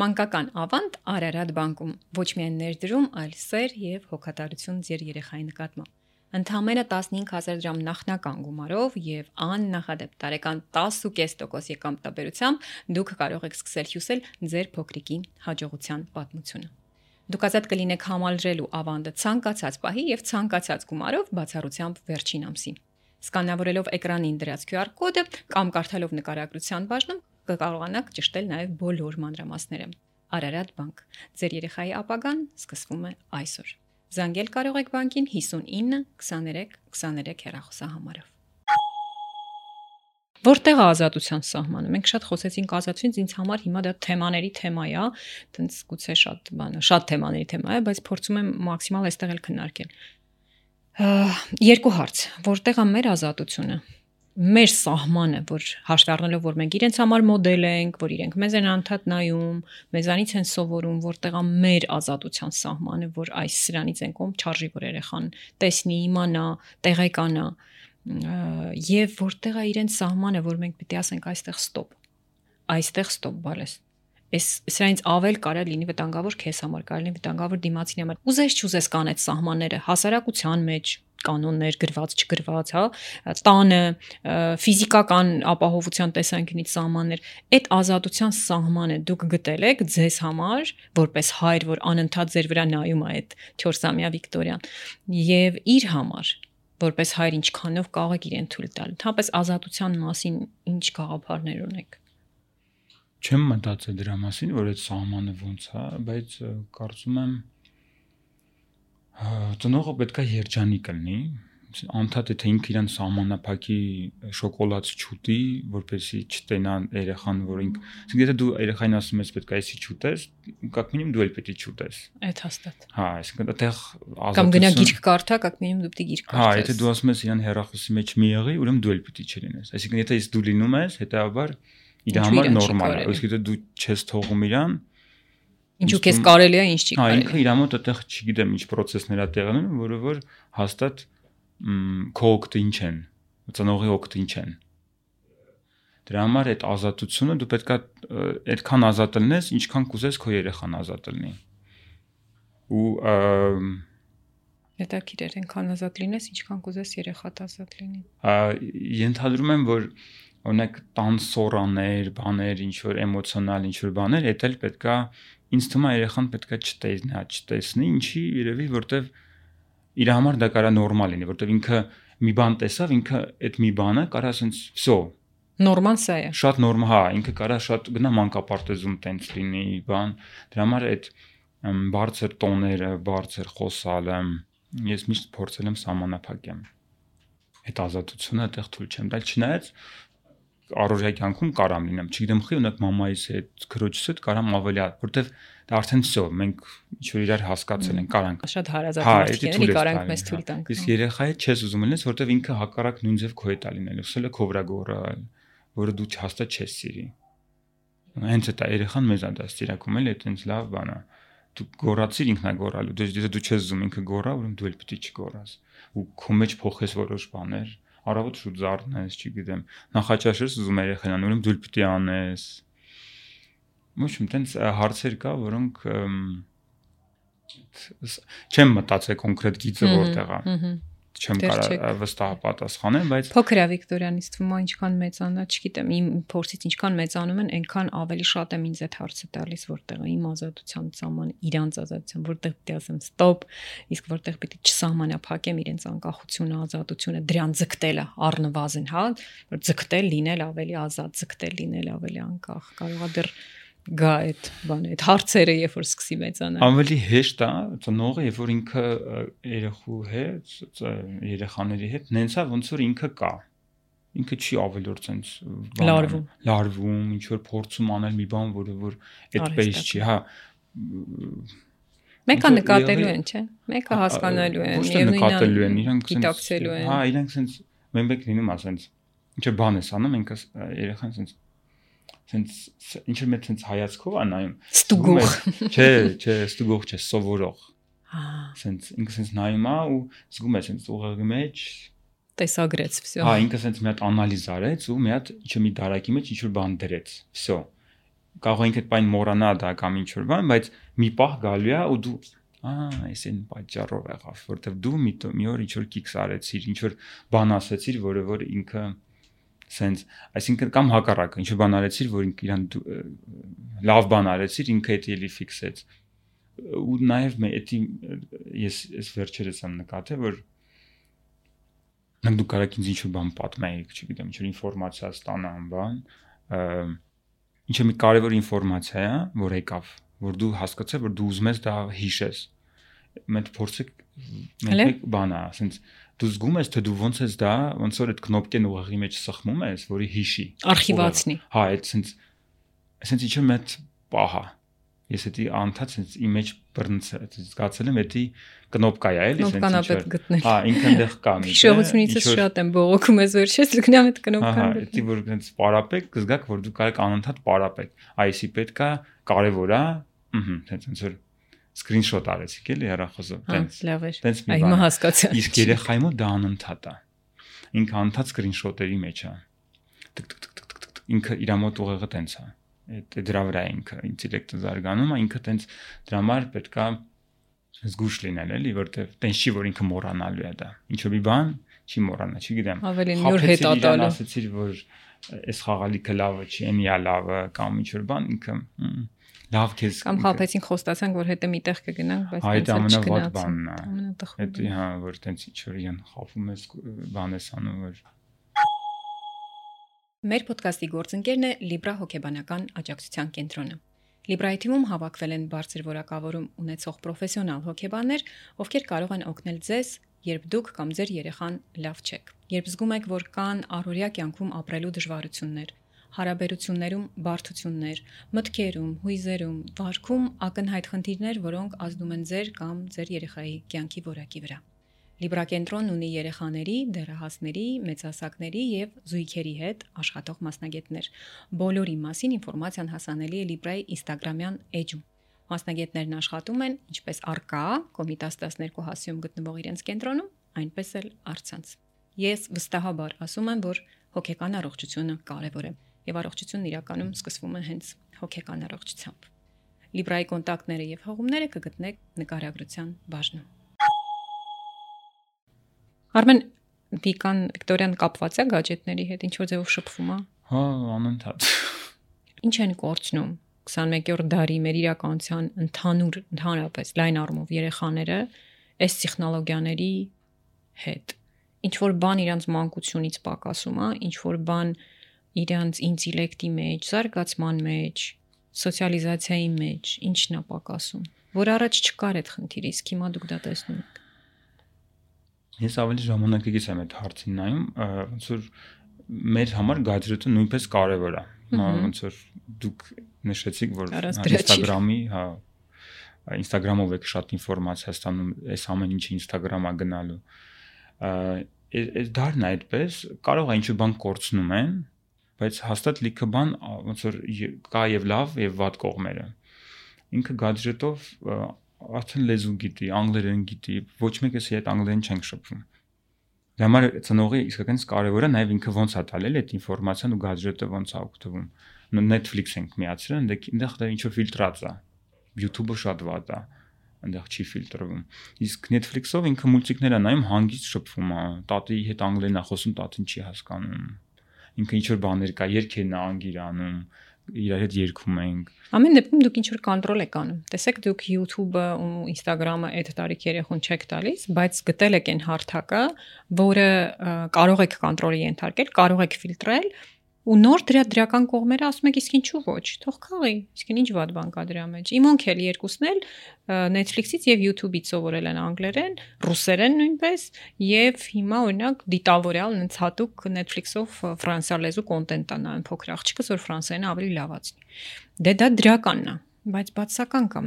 Մանկական ավանդ Արարատ բանկում ոչ միայն ներդրում, այլ սեր եւ հոգատարություն ձեր երեխայի նկատմամբ։ Ընդամենը 15000 դրամ նախնական գումարով եւ աննախադեպ տարեկան 10.5% եկամտաբերությամբ դուք կարող եք սկսել հյուսել ձեր փոքրիկի հաջողության պատմությունը։ Դուք ազատ կլինեք համալրելու ավանդը ցանկացած պահի եւ ցանկացած գումարով բացառությամբ վերջին ամսին։ Սկանավորելով էկրանին դրած QR կոդը կամ կարդալով նկարագրության բաժնում կկարողանաք ճշտել նաև բոլոր մանրամասները։ Արարատ բանկ։ Ձեր երեխայի ապագան սկսվում է այսօր։ Զանգել կարող եք բանկին 59 23 23 հեռախոսահամարով։ Որտեղ է ազատության սահմանը։ Մենք շատ խոսեցինք ազատությունից, ինձ համար հիմա դա թեմաների թեմա է, տենց գուցե շատ թեմաների թեմա է, բայց փորձում եմ մաքսիմալ այստեղ էլ քննարկել։ Երկու հարց. որտեղ է մեր ազատությունը։ Մեր սահմանը, որ հաշվի առնելով, որ մենք իրենց համար մոդել ենք, որ իրենք մեզ են անդադ նայում, մեզանից են սովորում, որտեղ է մեր ազատության սահմանը, որ այս սրանից են կողմ չարժի որ երեխան տեսնի, իմանա, տեղեկանա, եւ որտեղ է իրենց սահմանը, որ մենք պիտի ասենք այստեղ ստոպ, բալես։ Այս սրանից ավել կարա լինի վտանգավոր քեզ համար, կարա լինի վտանգավոր դիմացին համար։ Ուզես չուզես կան այդ սահմանները հասարակության մեջ կանոններ գրված չգրված, հա, տանը ֆիզիկական ապահովության տեսանկյունից սահմաններ, այդ ազատության սահմանը դուք գտել եք ձեզ համար, որպես հայր, որ անընդհատ ձեր վրա նայում է այդ 4-ամյա Վիկտորիան, եւ իր համար, որպես հայր ինչքանով կարող եք իրեն թույլ տալ։ Ընդհանրապես ազատության մասին ինչ գաղափարներ ունեք։ Չեմ մտածել դրա մասին, որ այդ սահմանը ոնց է, բայց կարծում եմ ծնողը պետք է երջանիկ լինի, անդադ եթե ինքը իրան սահմանափակի շոկոլադ չուտի, որպեսզի չտենա երեխան, որ ինքը, եթե դու երեխային ասում ես պետք է էսի չուտես, как минимум դու էլ պետք է չուտես։ Այդ հաստատ։ Հա, այսինքն այդտեղ Կամ գնա գիրք կարդա, как минимум դու պետք է գիրք կարդաս։ Հա, եթե դու ասում ես իրան հեռախոսի մեջ մի եղի, ուրեմն դու էլ պետք է չլինես։ Այսինքն եթե դու լինում ես, հետեւաբար իր համար նորմալ է, իսկ եթե դու չես թողում իրան, ինչու քեզ կարելի է, ինչ չի կարելի։ կարելի։ Ինքը իր մոտ այդտեղ չգիտեմ ինչ process-ներ է տեղի ունենում, որը որ հաստատ քո օգտը ինչ են, ծնողի օգտը ինչ են։ Դրա համար այդ ազատությունը դու պետք է այդքան ազատ լինես, ինչքան կուզես քո երեխան ազատ լինի։ Ու Հետաքրքիր է, այնքան ազատ լինես, ինչքան կուզես երեխատ ազատ լինի։ Ենթադրում եմ, որ օրինակ տանսորաներ, բաներ, ինչ որ էմոցիոնալ, ինչ որ բաներ, դա էլ պետքա ինձ թվում է երեխան պետքա չտեսնի, ինչի երևի, որտեվ իր համար դա կարա նորմալ լինի, որտեվ ինքը մի բան տեսավ, ինքը այդ մի բանը կարա ասենց վсё Նորմալ սա է։ Շատ նորմալ, հա, ինքը կարա շատ գնա մանկապարտեզում տենց լինի, բան, դրա համար այդ բարձր տոները, բարձր խոսալը ես միշտ փորձել եմ սահմանափակեմ։ Այդ ազատությունը այդտեղ թույլ չեմ տալ, չնայած առօրյա կյանքում կարամ լինեմ, չգիտեմ, խի ունակ մամայիս հետ, քրոջս հետ կարամ ավելի, որտեվ դա արդեն վсё, մենք ինչ որ իրար հասկացել ենք, կարանք։ Շատ հարազատ մարդիկ են, էլի կարանք մեզ թույլ տանք։ Իսկ երեխայի չես ուզում լինես, որտեվ ինքը հակառակ նույն ձև քո հետ է լինելու, սելը քո վրա գոռալ, որը դու հաստատ չես սիրի։ Հենց այդ երեխան մեզ է դա ստիրակում, էլի, այտենց լավ բան է։ Դու գոռացիր ինքնա գոռալու, դու չես ուզում ինքը գոռա, ուրեմն դու էլ պետք է չգոռաս։ Ու քո մեջ փոխես որոշ բաներ, առավոտ շուտ զարթնես, չգիտեմ, նախաճաշես ուզում երեխան, ուրեմն դու էլ պետք է անես։ Ոչ այտենց հարցեր կա, որոնք չեմ մտածել կոնկրետ գիծը որտեղ է։ Չեմ կարող վստահ պատասխանել, բայց փոքր է Վիկտորյանից թվում է ինչքան մեծանա, չգիտեմ, իմ փորձից ինչքան մեծանում են, այնքան ավելի շատ եմ ինձ այդ հարցը տալիս, որտեղ է իմ ազատության սահմանը, իրանց ազատության, որտեղ պետք է ասեմ ստոպ, իսկ որտեղ պետք է չսահմանափակեմ իրենց անկախությունը, ազատությունը, դրան ձգտելը առնվազն, հա, որ ձգտել լինել ավելի ազատ, ձգտել լինել ավելի անկախ, կարողա դեռ գա այդ բանը, այդ հարցերը, երբ որ սկսի մեծանալ։ Ավելի հեշտ է ծնողը, երբ որ ինքը երեխու հետ, երեխաների հետ նենցա ոնց որ ինքը կա։ Ինքը չի ավելորդ sense լարվում, ինչ որ փորձում անել մի բան, որը որ այդպես չի, հա։ Մեկը նկատելու են, չէ՞։ Մեկը հասկանալու են, եւ նկատելու են, իրանք գիտակցելու են։ Հա, իրանք sense մենբեք լինում է sense։ Ինչ որ բան ես անում, ինքը երեխան sense ինչ որ sense հայացքով է նայում։ Ստուգող։ Չէ, ստուգող չէ, սովորող։ Հա։ Sense ինքը sense նայում է ու զգում է sense ուղեղի մեջ տեսագրեց, վсё։ Հա, ինքը sense մի հատ անալիզ արեց ու մի հատ ինչ-որ մի դարակի մեջ ինչ-որ բան դրեց, վсё։ Կարող է ինքը այդ բան մոռանա դա կամ ինչ-որ բան, բայց մի պահ գալու է ու դու այս այն պատճառով եղավ, որովհետև դու մի օր ինչ-որ կիքս արեցիր, ինչ-որ բան ասեցիր, որը որ ինքը sense, այսինքն կամ հակառակը, ինչ-որ բան արեցիր, որ ինքը իրան լավ բան արեցիր, ինքը դա էլի ֆիքսեց։ Ու նաև ես վերջերս եմ նկատել, որ դու կարող ինձ ինչ-որ բան պատմեիք, չգիտեմ, ինչ-որ ինֆորմացիա ստանամ, բան, ինչ-որ մի կարևոր ինֆորմացիա է, որ եկավ, որ դու հասկացա, որ դու ուզում ես դա հիշես։ Մենք փորձենք մեկ բան է, sense դու զգում ես, թե դու ոնց ես դա, ոնց որ այդ կնոպկեն ուղեղի մեջ սխմում ես, որի հիշի։ Արխիվացնի։ Հա, այդ sense ինչ-որ մեծ պահ է։ Ես էդի անդադ sense իմ մեջ բռնցել, զգացել եմ էդի կնոպկա է, էլի sense ինչ-որ։ Հա, ինքն դեղ կա մի։ Հիշողությունից շատ եմ բողոքում ես վերջես, գնամ այդ կնոպկան։ Հա, էդի որ sense պարապեք, կզգաք, որ դու կարող անընդհատ պարապեք։ Այսի պետքա կարևոր է, sense որ screenshot արեցիք էլի հեռախոսով, տենց։ Լավ էր։ Տենց մի բան։ Հիմա հասկացա։ Իսկ երեխայի մոտ դա անընդհատ է։ Ինքը անընդհատ screenshot-երի մեջ է։ Ինքը իր մոտ ուղեղը տենց է։ Այդ դրա վրա է ինքը ինտելեկտը զարգանում, ինքը տենց դրա համար պետքա զգուշ լինել էլի, որտեվ տենց չի որ ինքը մոռանալու է դա։ Ինչ որ մի բան չի մոռանա, չգիտեմ։ Ավելին նոր հետ ատալու։ Ասացիր որ այս խաղալիքը լավը չի, այնի է լավը կամ ինչ որ բան ինքը լավ քեզ կամ խափեցին խոստացանք որ հետը միտեղ կգնանք, բայց այդ ամենավատ բանն է։ Ամենատխուր։ Դա հա որ տենց ինչ որ իրան խափում ես բան ես անում որ Մեր ոդկասթի գործընկերն է Libra հոգեբանական աջակցության կենտրոնը։ Libra-ի թիմում հավաքվել են բարձր որակավորում ունեցող պրոֆեսիոնալ հոգեբաններ, ովքեր կարող են օգնել ձեզ, երբ դուք կամ ձեր երեխան լավ չեք։ Երբ զգում եք, որ կան առօրյա կյանքում ապրելու դժվարություններ, հարաբերություններում բարդություններ, մտքերում, հույզերում, վարքում ակնհայտ խնդիրներ, որոնք ազդում են ձեր կամ ձեր երեխայի կյանքի որակի վրա։ Libra կենտրոնն ունի երեխաների, դեռահասների, մեծահասակների եւ զույգերի հետ աշխատող մասնագետներ։ Բոլորի մասին ինֆորմացիան հասանելի է Libra-ի Instagram-յան էջում։ Մասնագետներն աշխատում են ինչպես առկա Կոմիտաս 12 հասիում գտնվող իրենց կենտրոնում, այնպես էլ առցանց։ Ես վստահաբար ասում եմ, որ հոգեկան առողջությունը կարևոր է եւ առողջությունն իրականում սկսվում է հենց հոգեկան առողջությամբ։ Libra-ի կոնտակտները եւ հղումները կգտնեք նկարագրության բաժնում։ Արմեն Վիկտորյան կապված է գadgetների հետ, ինչ որ ձևով շփվում է։ Հա, անընդհատ։ Ինչ են կորցնում 21-րդ դարի մեր իրականության ընդհանրապես լայն առումով երեխաները այս տեխնոլոգիաների հետ։ Ինչ որ բան իրանց մանկությունից պակասում է, ինչ որ բան իրանց ինտելեկտի մեջ, զարգացման մեջ, սոցիալիզացիայի մեջ, ինչն է պակասում, որ առաջ չկար այդ խնդիրը, իսկ հիմա դուք դա տեսնում եք։ Ես ավելի ժամանակակից եմ այդ հարցին նայում, ոնց որ մեր համար գadgetը նույնպես կարևոր է։ Ոնց որ դուք նշեցիք, որ Instagram-ի, հա, Instagram-ով եք շատ ինֆորմացիա ստանում, այս ամեն ինչը Instagram-ա գնալու։ Այս դարն է այդպես, կարող է ինչ-որ բան կորցնում են, բայց հաստատ լիքը բան ոնց որ կա եւ լավ եւ վատ կողմերը։ Ինքը գadgetով արդեն լեզու գիտի, անգլերեն գիտի, ոչ մեկս հետ անգլերեն չենք շփվում։ Դա համար ծնողի իսկականից կարևոր է նաև ինքը ոնց է տալել այդ ինֆորմացիան ու գadgetը ոնց է օգտվում։ Netflix ենք միացրել, այնտեղ դա ինչ որ ֆիլտրած է։ YouTube-ը շատ վատ է, այնտեղ չի ֆիլտրվում։ Իսկ Netflix-ով ինքը մուլտիկներ է նայում, հանգիստ շփվում է, տատի հետ անգլերեն է խոսում, տատին չի հասկանում։ Ինքը ինչ որ բաներ կա, երգերն է անգիր անում, իրար հետ երգում ենք։ Ամեն դեպքում դուք ինչ որ կոնտրոլ եք անում։ Տեսեք, դուք YouTube-ը ու Instagram-ը այդ տարիք երեխուն չեք տալիս, բայց գտել եք այն հարթակը, որը կարող եք կոնտրոլի ենթարկել, կարող եք ֆիլտրել ու նոր դրական կողմերը ասում եք, իսկ ինչու ոչ, թող քաղի, իսկ ինչ վատ բան կա դրա մեջ։ Իմ էլ երկուսն էլ Netflix-ից եւ YouTube-ից սովորել են անգլերեն, ռուսերեն նույնպես, եւ հիմա օրինակ դիտավորյալ նենց հատուկ Netflix-ով ֆրանսիալեզու կոնտենտ է նայում փոքր աղջիկս, որ ֆրանսերենը ավելի լավացնի։ Դե դա դրականն է, բայց բացական կա,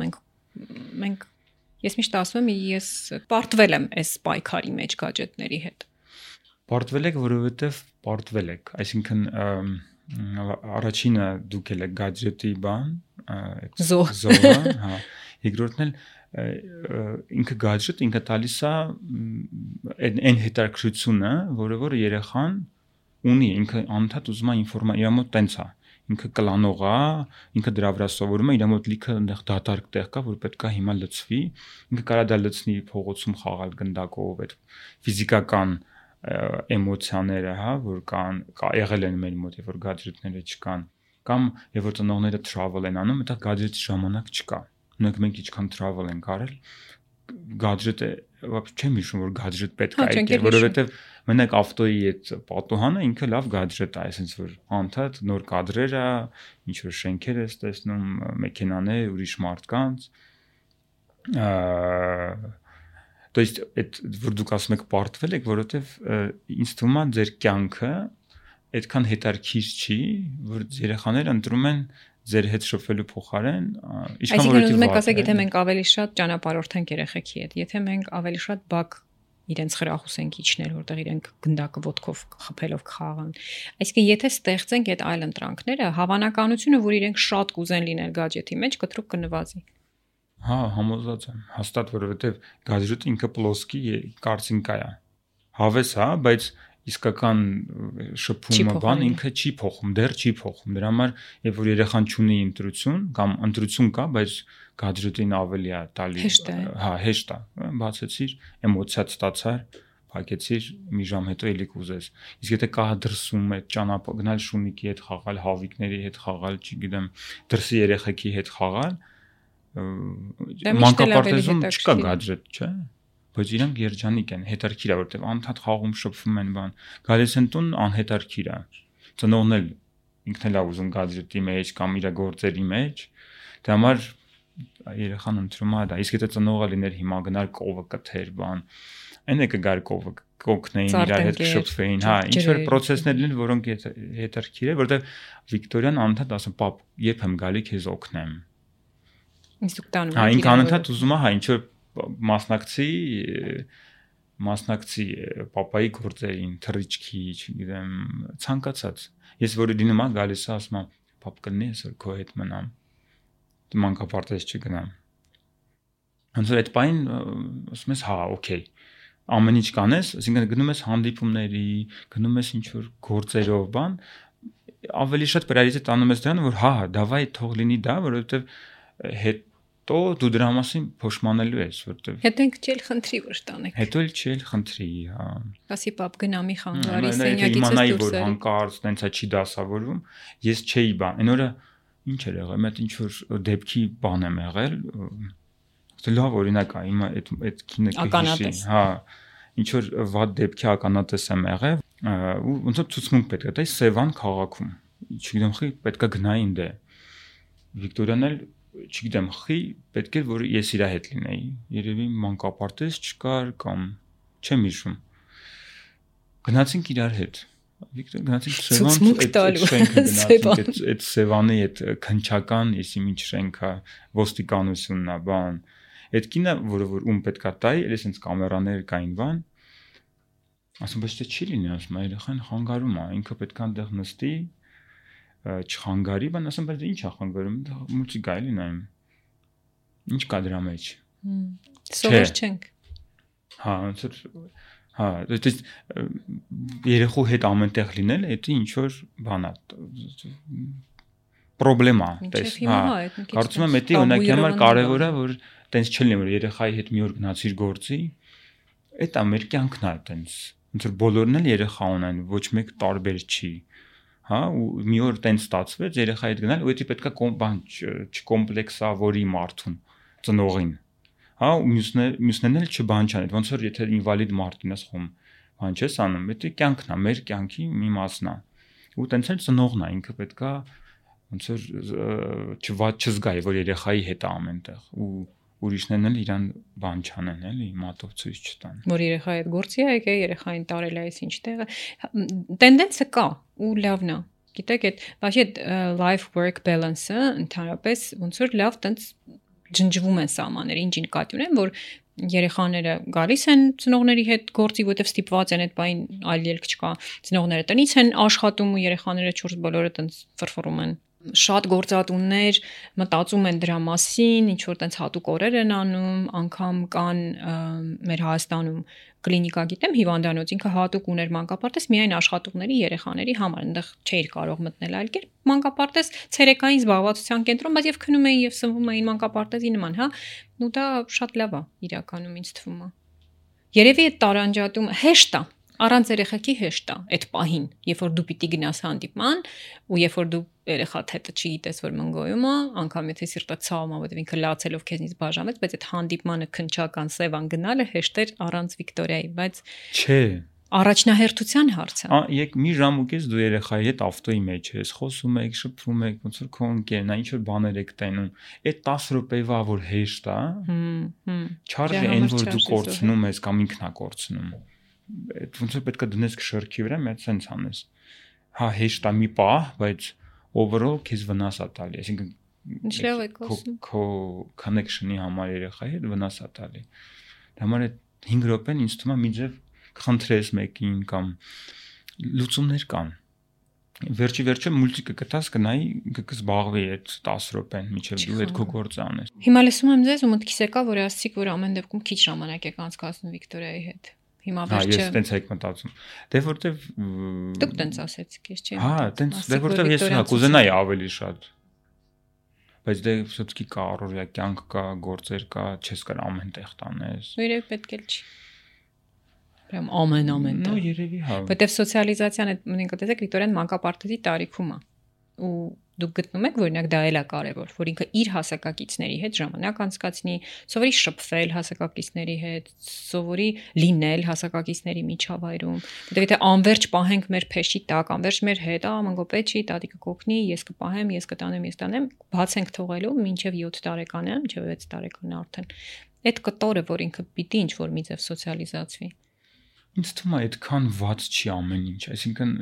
մենք ես միշտ ասում եմ, ես պարտվել եմ այս պայքարի մեջ գadgetների հետ։ Պարտվել եք, որովհետև պարտվել եք, այսինքն առաջինը դուք եք գadget-ի բան, զոհը, հա, երկրորդն էլ ինքը գadget ինքը տալիս է այն հետաքրքրությունը, որը երեխան ունի, ինքը անընդհատ ուզում է ինֆորմացիա, իր մոտ տենց է, ինքը կլանող է, ինքը դրա վրա սովորում է, իր մոտ լիքը այնտեղ դատարկ տեղ կա, որ պետք է հիմա լցվի, ինքը կարա դա լցնի փողոցում խաղալ գնդակով, այդ ֆիզիկական էմոցիաները, հա, որ կան, եղել են մեր մոտ, որ գadgetները չկան, կամ եւ որ ծնողները travel են անում, այդտեղ gadget-ի ժամանակ չկա։ Ունենք մենք ինչքան travel ենք արել, gadget-ը չեմ հիշում, որ gadget պետք է այդտեղ, որովհետեւ մենակ ավտոյի այդ պատուհանը ինքը լավ gadget է, այսինքն որ անընդհատ նոր կադրեր է, ինչ որ շենքեր ես տեսնում, մեքենաներ, ուրիշ մարդկանց, То есть այդ որ դուք ասում եք պարտվել եք, որովհետև ինձ թվում է ձեր կյանքը այդքան հետաքրքիր չի, որ երեխաները ընտրում են ձեր հետ շփվելու փոխարեն, ինչքան որ ուզում եք ասեք, եթե մենք ավելի շատ ճանապարհորդենք երեխեքի հետ, եթե մենք ավելի շատ բակ իրենց խրախուսենք իջնել, որտեղ իրենք գնդակը ոտքով խփելով կխաղան։ Այսինքն եթե ստեղծենք այդ այլ ընտրանքները, հավանականությունը, որ իրենք շատ կուզեն լինել գadget-ի մեջ, կտրուկ կնվազի։ Հա, համոզված եմ, հաստատ, որովհետև գadget-ը ինքը պլոսկի կարծինկա է։ Հավես է, բայց իսկական շփումը բան ինքը չի փոխում, դեռ չի փոխում։ Դրա համար, երբ որ երեխան ունի ընտրություն կամ ընտրություն կա, բայց գadget-ին ավելի է տալի, հա, հեշտ է, բացեցիր, էմոցիա ստացար, փակեցիր, մի ժամ հետո էլի կուզես։ Իսկ եթե կա դրսում այդ ճանապարհ գնալ շունիկի հետ խաղալ, հավիկների հետ խաղալ, չգիտեմ, դրսի երեխեքի հետ խաղալ, մանկապարտեզում չկա gadget, չէ՞, բայց իրանք երջանիկ են, հետարքիր է, որտեղ անընդհատ խաղում շփվում են բան։ Գալիս են տուն անհետարքիր է։ Ծնողն էլ ինքն էլ է ուզում gadget-ի մեջ կամ իր գործերի մեջ։ Դա համար երեխան ընտրում է դա։ Իսկ եթե ծնողը լիներ հիմա գնալ կովը կթեր բան, այն է կգար կովը կօգնեին իրար հետ շփվեին, հա, ինչ որ process-ներ լինեն, որոնք հետարքիր է, որտեղ Վիկտորիան անընդհատ ասում, պապ, երբ եմ գալի քեզ օգնեմ։ Հա, ինքը անընդհատ ուզում է, հա, ինչ որ մասնակցի պապայի գործերին, թռիչքի, չգիտեմ, ցանկացած։ Ես որը դինում եմ գալիս է, ասում եմ, պապ կլինի այսօր քո հետ մնամ։ Մանկապարտեզ չգնամ։ Ոնց որ այդ պայն ասում ես, հա, օքեյ։ Ամեն ինչ կանես, այսինքն գնում ես հանդիպումների, գնում ես ինչ որ գործերով բան, ավելի շատ priority տանում ես դրան, որ հա, դավայ թող լինի դա, որովհետև հետ տո դու դրա մասին փոշմանելու ես, որտեվ Հետո ինքը չել խնդրի որ տանեք։ հետո էլ չել խնդրի, հա։ Ասի պապ գնամի խանգարի սենյակից դուրս էր։ Հանկարծ տենց է չի դասավորվում, ես չէի բան։ Այն օրը ինչ էր եղել, մեծ ինչ որ դեպքի բան եմ եղել, լավ օրինակ է, հիմա այդ քինը կհիշի, հա, ինչ որ վատ դեպքի ականատես եմ եղել, ու ոնց որ ցուցմունք պետք է տա Սևան քաղաքում, չգիտեմ խի պետք է գնային դե։ Վիկտորիան էլ չգիտեմ խի պետք է որ ես իր հետ լինեի, երևի մանկապարտեզ չկար կամ չեմ հիշում։ Գնացինք իրար հետ։ Վիկտոր գնացինք Սևան, այդ Սևանի այդ քնչական, եսի ինչ շենքա, ոստիկանությունն է, բան։ Այդ կինը, որը որ ում պետքա տայի, էլ էսենց կամերաներ կային բան։ Ասում բայց դե չի լինի, ասում երեխան խանգարում է, ինքը պետքա այնտեղ նստի, չխանգարի, բան ասում բայց ինչ է խանգարում, մուլտիկ է լինայում։ Ինչ կա դրա մեջ։ Սովոր չենք։ Հա, ոնց որ հա, դա երեխու հետ ամենտեղ լինելը, դա ինչ որ բան է։ Պրոբլեմա, տես, հա։ Կարծում եմ դա օրինակի համար կարևոր է, որ տենց չլինի, որ երեխայի հետ մի օր գնացիր գործի, դա մեր կյանքն է տենց։ Ոնց որ բոլորն էլ երեխա ունեն, ոչ մեկ տարբեր չի, հա, ու մի օր տենց ստացվեց երեխայի հետ գնալ, ու դա պետքա բան չկոմպլեքսավորի մարդուն, ծնողին, հա, ու մյուսներն էլ չբան չան, ոնց որ եթե ինվալիդ մարդին ես խոմ, բան չես անում, դա կյանքն է, մեր կյանքի մի մասն է, ու տենց էլ ծնողն է, ինքը պետքա ոնց որ չզգայի, որ երեխայի հետ է ամենտեղ, ու ուրիշներն էլ իրան բան չանեն, էլի, մատով ցույց չտան։ Որ երեխայի հետ գործի է եկել, երեխային տարել է այս ինչ տեղը։ Տենդենսը կա ու լավն է։ Գիտեք, այդ բայց այդ life work balance-ը ընդհանրապես ոնց որ լավ տենց ջնջվում են սահմանները, ինչ նկատի ունեն, որ երեխաները գալիս են ծնողների հետ գործի, որտեվ ստիպված են այդ բային այլ ելք չկա։ Ծնողները տնից են աշխատում ու երեխաները 4 բոլորը տենց ֆրֆռում են։ Շատ գործատուններ մտածում են դրա մասին, ինչ որ տենց հատուկ օրեր են անում, անգամ կան մեր Հայաստանում կլինիկա գիտեմ հիվանդանոց, ինքը հատուկ ուներ մանկապարտեզ միայն աշխատողների երեխաների համար, այնտեղ չէիր կարող մտնել այլ կերպ, մանկապարտեզ ցերեկային զբաղվածության կենտրոն, բայց եւ քնում էին եւ սնվում էին մանկապարտեզի նման, հա, ու դա շատ լավ է իրականում ինձ թվում է։ Երևի այդ տարանջատումը հեշտ է, առանց երեխեքի հեշտ է այդ պահին, երբ որ դու պիտի գնաս հանդիպման ու երբ որ դու երեխադ հետ չգիտես որ մնգոյում է, անգամ եթե սիրտը ցավում է, որտեղ ինքը լացելով քեզնից բաժանվեց, բայց այդ հանդիպմանը քնչական Սևան գնալը հեշտ էր առանց Վիկտորիայի, բայց չէ, առաջնահերթության հարցը։ Եկ մի ժամ ու կես դու երեխայի հետ ավտոյի մեջ ես, խոսում եք, շփվում եք, ոնց որ քո ընկերն է, ինչ որ բաներ եք տենում։ Այդ 10 րոպեվա որ հեշտ է, չարժե այն որ դու կորցնում ես կամ ինքն է կորցնում։ Այդ ոնց որ պետք է դնես շրքի վրա, մի հատ սենց անես։ Հա հեշտ է մի պահ, բայց overall քեզ վնաս է տալի, այսինքն քո connection-ի համար երեխայի հետ վնաս է տալի։ Դա համար այդ 5 րոպեն ինձ թվում է մի ձև խնդրես մեկին կամ լուծումներ կան։ Վերջի մուլտիկը կտաս գնայի կզբաղվի այդ 10 րոպեն միջև դու այդ քո գործը անես։ Հիմա լսում եմ ձեզ ու մտքիս եկա, որ ասացիք, որ ամեն դեպքում քիչ ժամանակ եք անցկացնում Վիկտորիայի հետ։ Հիմա վերջը։ Ես տենց եք մտածում։ Դե որտեվ դուք տենց ասեցիք, ես չեմ։ Հա, տենց դե որտեվ ես կուզենայի ավելի շատ։ Բայց դե все-таки կա առօրյա կյանք կա, գործեր կա, չես կարող ամեն տեղ տանես։ Երևի պետք էլ չի։ Прям ամեն տեղ։ Ну, երևի հա։ Որտեվ սոցիալիզացիան այդ ինքը տեսեք Վիկտորիան մանկապարտեզի տարիքում է։ Ու դուք գտնում եք, որ օրինակ դա էլ է կարևոր, որ ինքը իր հասակակիցների հետ ժամանակ անցկացնի, սովորի շփվել հասակակիցների հետ, սովորի լինել հասակակիցների միջավայրում։ Որտեվ եթե անverջ պահենք մեր փեշի տակ, անverջ մեր հետ, մանկոպետ չի, տատիկը կօգնի, ես կպահեմ, ես կտանեմ, բաց ենք թողելու մինչև 7 տարեկան է, մինչև 6 տարեկան արդեն։ Այդ կտորը, որ ինքը պիտի ինչ որ մի ձև սոցիալիզացվի։ Ինձ թվում է այդքան ված չի ամեն ինչ, այսինքն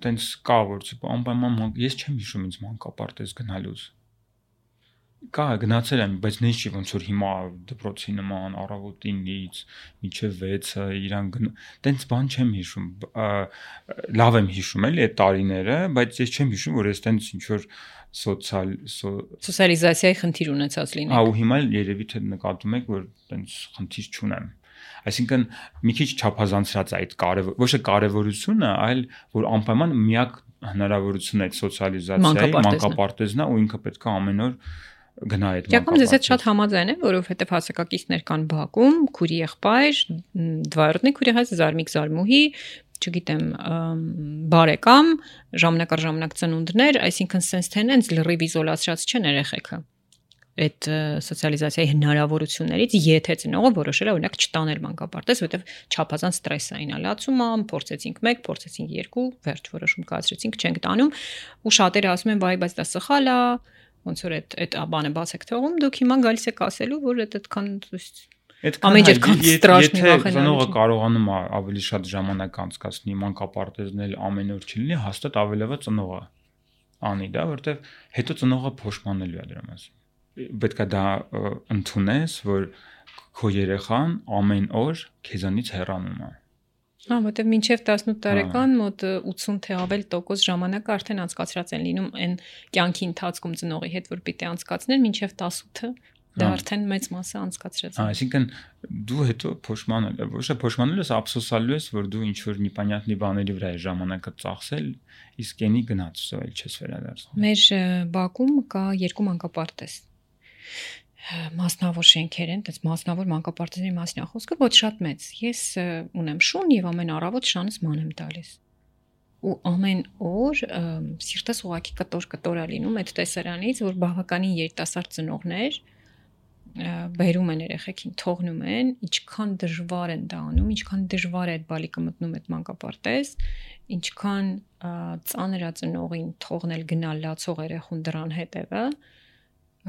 տենց կա որ անպայման ես չեմ հիշում ինձ մանկապարտեզ գնալուց։ Կա գնացել եմ, բայց նույնիսկ չի ոնց որ հիմա դպրոցի նման առավոտինից մինչև 6-ը իրան տենց բան չեմ հիշում։ Լավ եմ հիշում էլի այդ տարիները, բայց ես չեմ հիշում որ ես տենց ինչ որ սոցիալիզացիայի խնդիր ունեցած լինի։ Հա ու հիմա երևի թե նկատում եք որ տենց խնդիր չունեմ։ Այսինքն մի քիչ չափազանցրած այդ ոչ թե կարևորությունը, այլ որ անպայման միակ հնարավորությունն է այդ սոցիալիզացիայի մանկապարտեզն է ու ինքը պետք է ամեն օր գնա այդ մանկապարտեզ։ Ես այդ շատ համաձայն եմ, որովհետև հասակակիցներ կան բակում, քուրի եղբայր, դվայրնի քուրի հայ զարմիկ զարմուհի, չգիտեմ, բարեկամ, ժամանակ առ ժամանակ ծնունդներ, այսինքն sense թե նենց լրիվ իզոլացրած չեն երեխեքը այդ սոցիալիզացիայի հնարավորություններից, եթե ծնողը որոշել է օրինակ չտանել մանկապարտեզ, որովհետև չափազանց ստրեսային է լացում, փորձեցինք 1, փորձեցինք 2, վերջ որոշում կայացրեցինք, չենք տանում, ու շատերը ասում են, վայ, բայց դա սխալ է, ոնց որ այդ բանը բաց եք թողում, դուք հիմա գալիս եք ասելու, որ այդքան ամեն ինչքան ստրաշնի վախենալու։ Ծնողը կարողանում է ավելի շատ ժամանակ անցկացնի մանկապարտեզն էլ ամեն օր չլինի, հաստատ ավելովը ծնողը անի դա, որովհետև հետո ծնողը փոշմանելու է դրա մասին։ Պետք է դա ընդունես, որ քո երեխան ամեն օր քեզանից հեռանում է։ Որտեվ մինչև 18 տարեկան մոտ 80 թե ավել տոկոս ժամանակ արդեն անցկացրած են լինում այն կյանքի ընթացքում ծնողի հետ, որ պիտի անցկացնեն, մինչև 18-ը դա արդեն մեծ մասը անցկացրած է։ Այսինքն դու հետո փոշմանել, ոչ թե փոշմանել ես, ափսոսալու ես, որ դու ինչ որ նիպանյատնի բաների վրա ես ժամանակը ծախսել, իսկ ենի գնաց, այլ չես վերադարձնում։ Մեր բակում կա 2 մանկապարտեզ։ Մասնավոր շենքեր են, այդպես մասնավոր մանկապարտեզների մասին է խոսքը, ոչ շատ մեծ։ Ես ունեմ շուն եւ ամեն առավոտ շանս ման եմ տալիս։ Ու ամեն օր սիրտս ուղակի կտոր է լինում այդ տեսարանից, որ բավականին երիտասարդ ծնողներ բերում են երեխեքին, թողնում են, ինչքան դժվար են դա անում, ինչքան դժվար է այդ բալիկը մտնում այդ մանկապարտեզ, ինչքան ծանր է ծնողին թողնել գնալ լացող երեխուն դրան հետևը,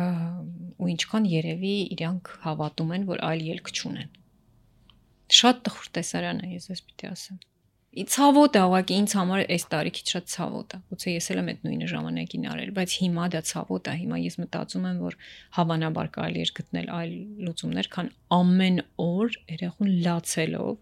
ու ինչքան երևի իրանք հավատում են, որ այլ ելք չունեն։ Շատ տխուր տեսարան է, ես պիտի ասեմ։ Ցավոտ է, ուղղակի ինձ համար այս տարիքից շատ ցավոտ է։ Գուցե ես էլ եմ այդ նույնը ժամանակին արել, բայց հիմա դա ցավոտ է։ Հիմա ես մտածում եմ, որ հավանաբար կարելի է գտնել այլ լուծումներ, քան ամեն օր երեխուն լացելով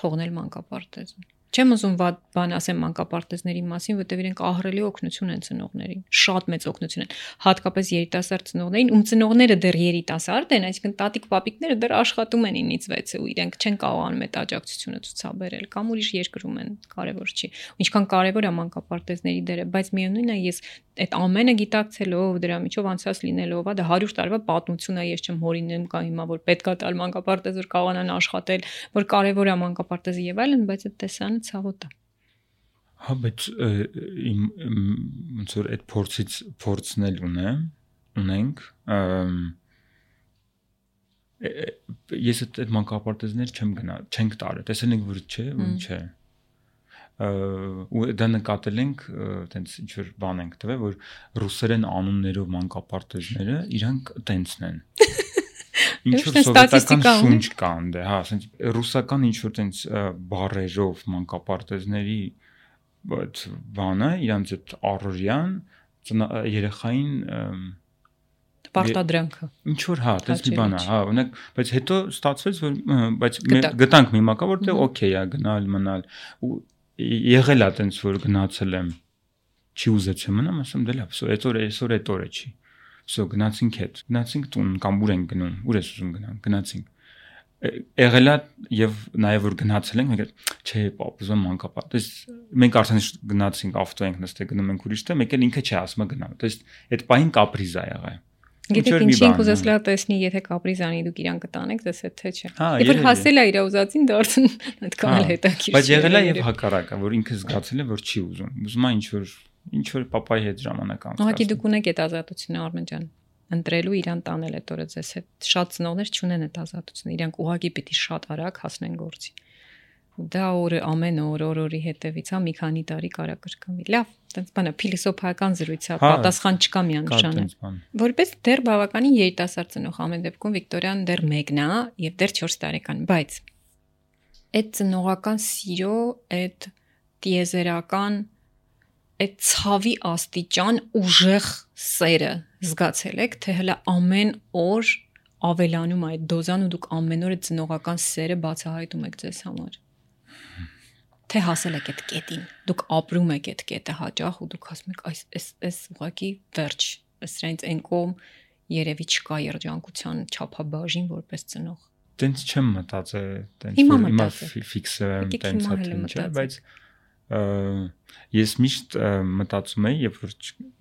թողնել մանկապարտեզը։ Չեմ ուզում վատ բան ասեմ մանկապարտեզների մասին, որտեղ իրենք ահռելի օգնություն են ծնողներին, շատ մեծ օգնություն են, հատկապես երիտասարդ ծնողներին, ում ծնողները դեռ երիտասարդ են, այսինքն տատիկ պապիկները դեռ աշխատում են 9-ից 6-ը ու իրենք չեն կարողանում այդ աջակցությունը ցուցաբերել, կամ ուրիշ երկրում են, կարևոր չի։ Ինչքան կարևոր է մանկապարտեզների դերը, բայց միևնույնն է, ես այդ ամենը գիտակցելով, դրա միջով անցած լինելով, դա 100 տարվա պատմություն է, ես չեմ հորինում կամ հիմա որ պետքա տալ մանկապարտեզ, որ կարողանան աշխատել, որ կարևոր է մանկապարտեզը եւ այլն, բայց այդ տեսանը ցավոտ է։ Հա, բայց ոնց որ այդ փորձնել ունենք, ես այդ մանկապարտեզներ չենք տարել, տեսել ենք որ չէ, որ չէ։ Ու դա նկատել ենք, տենց ինչ որ բան ենք տվել, որ ռուսերեն անուններով մանկապարտեզները իրանք տենցն են։ Ինչ որ սովետական շունչ կա այնտեղ, հա, ասենց ռուսական ինչ որ տենց բառերով մանկապարտեզների այդ բանը, իրանց այդ առօրյան երեխային պարտադրանքը։ Ինչ որ հա, տես մի բան է, հա, օրինակ, բայց հետո ստացվեց, որ բայց գտանք մի մակա, որտեղ օքեյ է գնալ, մնալ ու եղել է տենց որ գնացել եմ, չի ուզեցի մնամ, ասեմ դե լավ, այսօր այդ օրը չի։ Всё, գնացինք տուն կամ ուր ենք գնում, ուր ես ուզում գնանք, գնացինք։ Եղել է եւ նաեւ որ գնացել ենք, մենք չէ, պապ, ուզում մանկապարտեզ, մենք արդեն գնացինք ավտո ենք նստել գնում ենք ուրիշ տեղ, մեկ էլ ինքը չի ասում գնամ։ То есть այդ պահին կապրիզ է եղել։ Գիտեք ինչին կուզես լավ տեսնի, եթե կապրիզանի դուք իրան կտանեք, դες թե չէ։ Երբ որ հասել է իր ուզածին դարձն այդքան էլ հետաքրքիր։ Բայց եղել է եւ հակառակը, որ ինքը զգացել է, որ չի ուզում։ Ուզում է ինչ որ պապայի հետ ժամանակ անցկացնել։ Ուղղակի դուք ունեք այդ ազատությունը, Արմեն ջան, ընտրելու իրան տանել այդ օրը ձեզ հետ։ Շատ ծնողներ չունեն այդ ազատությունը, իրանք ուղղակի պիտի շատ արագ հասնեն գործի։ Դա օրը ամեն օրի հետևից, հա, մի քանի տարի կարա կրկնվի։ Լավ, այդպես բանը փիլիսոփայական զրույց է, պատասխան չկա միանշանը։ Որպես դեռ բավականին երիտասարդ ծնող ամեն դեպքում Վիկտորիան դեռ մեկն է եւ դեռ 4 տարեկան, բայց այդ ծնողական սիրո, այդ տիեզերական, այդ ցավի աստիճան ուժեղ սերը զգացել եք, թե հələ ամեն օր ավելանում է այդ դոզան ու դուք ամեն օր այդ ծնողական սերը բացահայտում եք ձեզ համար։ Թե հասել եք այդ կետին, դուք ապրում եք այդ կետը հաճախ ու դուք ասում եք այս ուղղակի վերջ, սրանից այն կողմ երևի չկա երջանկության չափաբաժին որպես ծնող։ Տենց չեմ մտածել, տենց որ հիմա ֆիքսը եմ տենց հատում, բայց ես միշտ մտածում եմ, երբ որ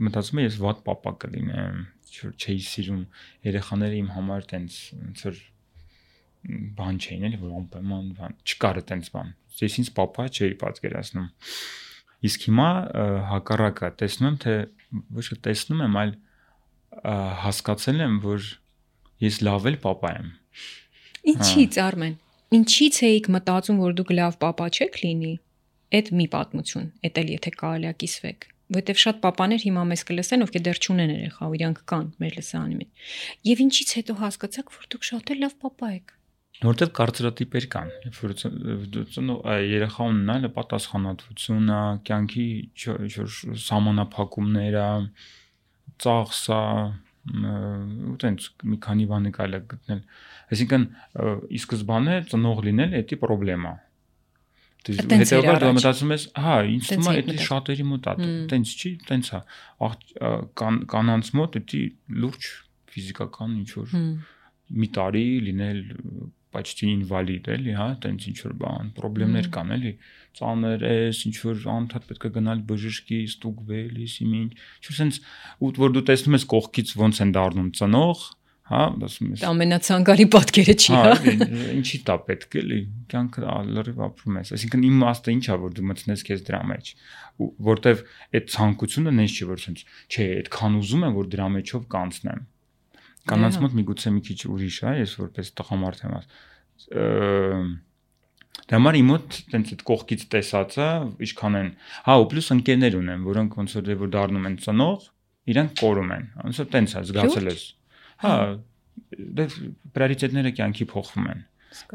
մտածում եմ ես վատ պապա կլինեմ, չէի սիրում երեխաները իմ համար տենց ոնց որ բան չէին էլի որ անպայման բան չկար այդպես բան ես ինձ papa չէի պատկերացնում իսկ հիմա հակառակը տեսնում եմ թե ոչ թե տեսնում եմ այլ հասկացել եմ որ ես լավ էլ papa եմ Ինչի՞ց Արմեն ինչի՞ց էիք մտածում որ դուք լավ papa չեք լինի այդ մի պատմություն էդ էլ եթե կարելի է կիսվեք որտեվ շատ papaներ հիմա մեզ կլսեն ովքեր դեռ չունեն երեխա ու իրանք կան մեր լսարանի մեջ եւ ինչի՞ց հետո հասկացաք որ դուք շատ էլ լավ papa եք որտեվ կարծրատիպեր կան երեխա ունենալը պատասխանատվությունը կյանքի սահմանափակումները ծախսը ու տենց մի քանի բան կարելի է գտնել այսինքն ի սկզբանե ծնող լինել էդի խնդրեմա հետեւաբար դու մտածում ես հա ինձ թվում է դա շատերի մոտ է տենց չի տենց է կանանց մոտ դա լուրջ ֆիզիկական ինչ որ մի տարի լինել почти ինվալիդ էլի հա տենց ինչ որ բան խնդիրներ կան էլի ծանր էս ինչ որ անդադ պետք է գնալ բժշկի ստուգվել իսիմին ինչ որ sense որ դու տեսնում ես կողքից ոնց են դառնում ծնող հա ասում ես ամենացանկալի պատկերը չի հա ինչի՞ տա պետք էլի կյանքը լրիվ ապրում ես այսինքն իմ իմաստը ի՞նչ է որ դու մտցնես քեզ դրա մեջ որտեվ այդ ցանկությունը նենց չի որ sense չէ այդքան ուզում եմ որ դրա մեջով կանցնեմ կանանց մոտ միգուցե մի քիչ ուրիշ է ես որպես տղամարդ եմ դա համար իմ մոտ տենց այդ կողքից տեսածը ինչքան են հա ու պլյուս ընկերներ ունեմ որոնք ոնց որ դառնում են ծնող իրանք կորում են ոնց որ տենց է զգացել ես հա դա պրիորիտետները կյանքի փոխվում են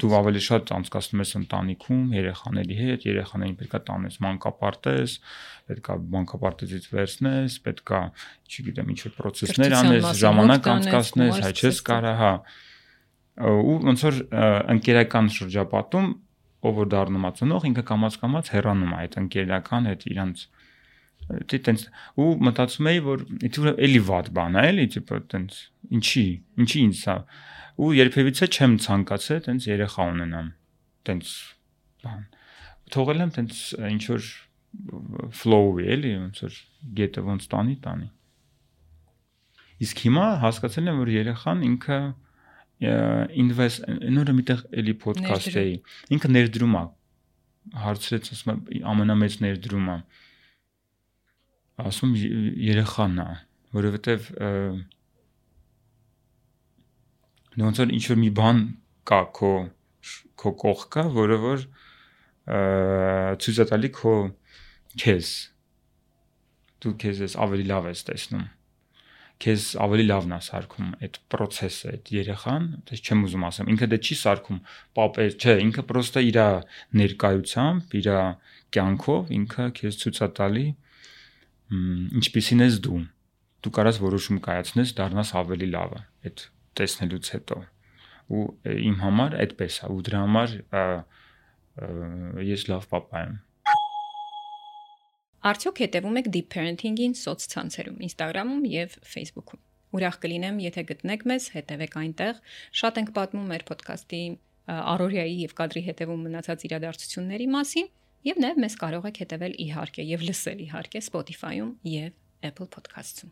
դու ավելի շատ անցկացնում ես ընտանիքում երեխաների հետ երեխաներին պետքա տանես մանկապարտեզ պետքա մանկապարտեզից վերցնես պետքա չգիտեմ ինչ որ process-ներ անես ժամանակ անցկացնես հայ չես կարա հա ու ոնց որ ընկերական շրջապատում ով որ դառնում է ծնող ինքը կամաց հեռանում է այդ ընկերական հետ իրանց տենց ու մտածում էի որ էլի վատ բան է էլի տիպը տենց ինչի ինձ սա ու երբևիցե չեմ ցանկացել տենց երեխա ունենամ տենց բան թողել եմ տենց ինչ որ flow-ի էլի ոնց որ գետը ոնց տանի իսկ հիմա հասկացել եմ որ երեխան ինքը invest նորը միտեղ էլի podcast էի ինքը ներդրում է հարցրեց ասում ամենամեծ ներդրումը ասում երեխան է որովհետև ոնց որ ինչ որ մի բան կա քո կողքը որը որ ցույց է տալի քո քեզ դու քեզ ավելի լավ ես տեսնում քեզ ավելի լավն է սարքում այդ process-ը այդ երեխան դες չեմ ուզում ասեմ ինքը դա չի սարքում պապեր չէ ինքը պրոստը իր ներկայությամբ իր կյանքով ինքը քեզ ցույց է տալի ինչպիսին ես դու կարաս որոշում կայացնես դառնաս ավելի լավը այդ տեսնելուց հետո ու իմ համար այդպես է ու դրա համար ես լավ papa եմ Արդյոք հետևում եք deep parenting-ին սոցցանցերում Instagram-ում եւ Facebook-ում Ուրախ կլինեմ եթե գտնեք մեզ հետևեք այնտեղ շատ ենք պատմում մեր podcast-ի առօրյայի եւ կադրի հետևում մնացած իրադարձությունների մասին եւ նաեւ մեզ կարող եք հետևել իհարկե եւ լսել իհարկե Spotify-ում եւ Apple Podcast-ում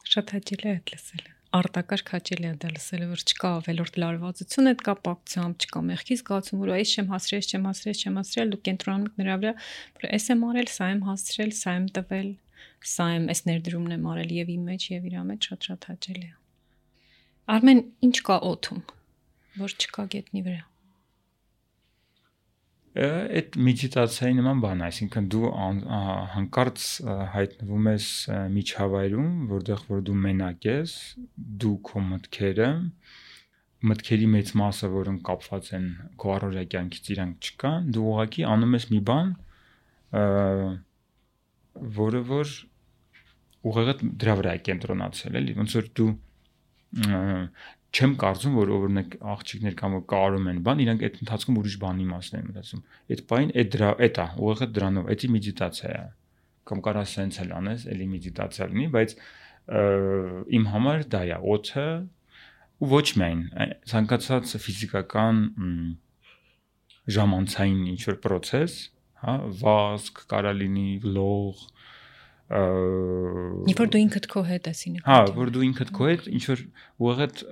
Շատ հաճելի է լսել արտակարգ հաճելի է դա լսելը որ չկա ավելորդ լարվածություն այդ կապակցությամբ չկա մեղքի զգացում որ այս չեմ հասրել դու կենտրոնանում եք նրա վրա որ էս եմ արել սա եմ հասրել սա եմ տվել սա եմ այս ներդրումն եմ արել եւ իմ մեջ եւ իր մեջ շատ հաճելի է Արմեն ինչ կա օդում որ չկա գետնի վրա Այդ մեդիտացիայի նման բան, այսինքն դու հանկարծ հայտնվում ես միջավայրում, որտեղ որ դու մենակ ես, դու քո մտքերի մեծ մասը, որոնք կապված են քո առօրյա կյանքից իրանք չկան, դու ուղղակի անում ես մի բան, որը որ ուղղակի դրա վրա է կենտրոնացել, էլի, ոնց որ դու չեմ կարծում որ օրինակ աղջիկներ կամ որ կարում են բան իրանք այդ ընթացքում ուրիշ բանի մասն են մտածում այդ բային այդ է ուղղակի դրանով էդի մեդիտացիա է կամ կարա սենց էլ անես էլի մեդիտացիա լինի բայց իմ համար դա է օդը ու ոչ միայն ցանկացած ֆիզիկական ժամանցային ինչ որ process հա վազք կարա լինի լող Երբ որ դու ինքդ քո հետ ես ինքը։ Հա, որ դու ինքդ քո հետ ինչ որ ուղղակի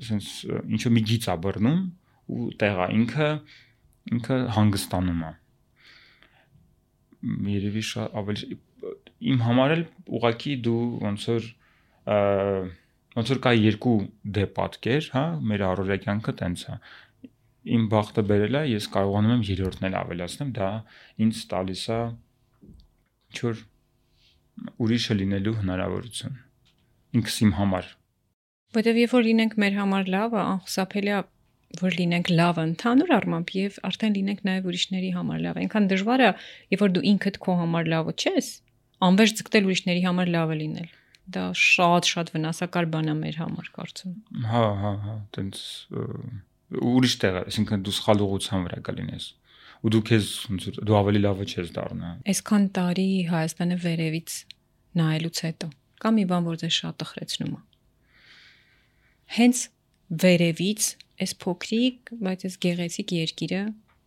sense ինչ որ մի գիծ է բռնում ու տեղա ինքը հանգստանում է։ Երևի շատ ավելի իմ համար էլ ուղղակի դու ոնց որ կա երկու դեպատկեր, հա, մեր առօրյա կյանքը տենց է։ Իմ բախտը բերել է, ես կարողանում եմ երրորդն էլ ավելացնեմ, դա ինձ տալիս է ինչ որ ուրիշը լինելու հնարավորություն ինքս իմ համար։ Որտեւ երբ որ լինենք մեր համար լավը, անխուսափելի է որ լինենք լավը ընդհանուր առմամբ եւ արդեն լինենք նաեւ ուրիշների համար լավ։ Այնքան դժվար է, երբ որ դու ինքդ քո համար լավը չես, անվերջ ձգտել ուրիշների համար լավը լինել։ Դա շատ վնասակար բան է մեր համար, կարծում։ Հա, տենց ուրիշ տեղ է, այսինքն դու սխալ ուղղության վրա կլինես։ Ու դու քեզ ոնց որ դու ավելի լավը չես դառնա։ Այսքան տարի Հայաստանը վերևից նայելուց հետո կա մի բան, որ ձեզ շատ տխրեցնում է։ Հենց վերևից այս փոքրիկ, բայց այս գեղեցիկ երկիրը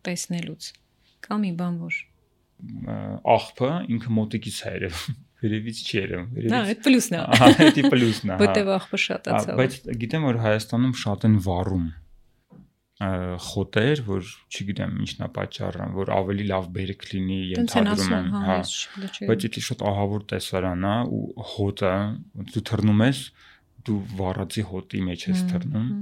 տեսնելուց կա մի բան, որ աղբը ինքը մոտիկից է երևում։ Վերևից չի երևում, վերևից։ Հա, այդ պլյուսն է։ Ահա, դա պլյուսն է։ Որտեւ աղբը շատացավ։ Բայց գիտեմ, որ Հայաստանում շատ են վառում խոտեր, որ չգիտեմ ինչն է պատճառը, որ ավելի լավ բերք լինի, ենթադրում եմ, հա։ Բայց դա շատ ահավոր տեսարան է ու հոտը, դու թռնում ես, դու վառածի հոտի մեջ ես թռնում։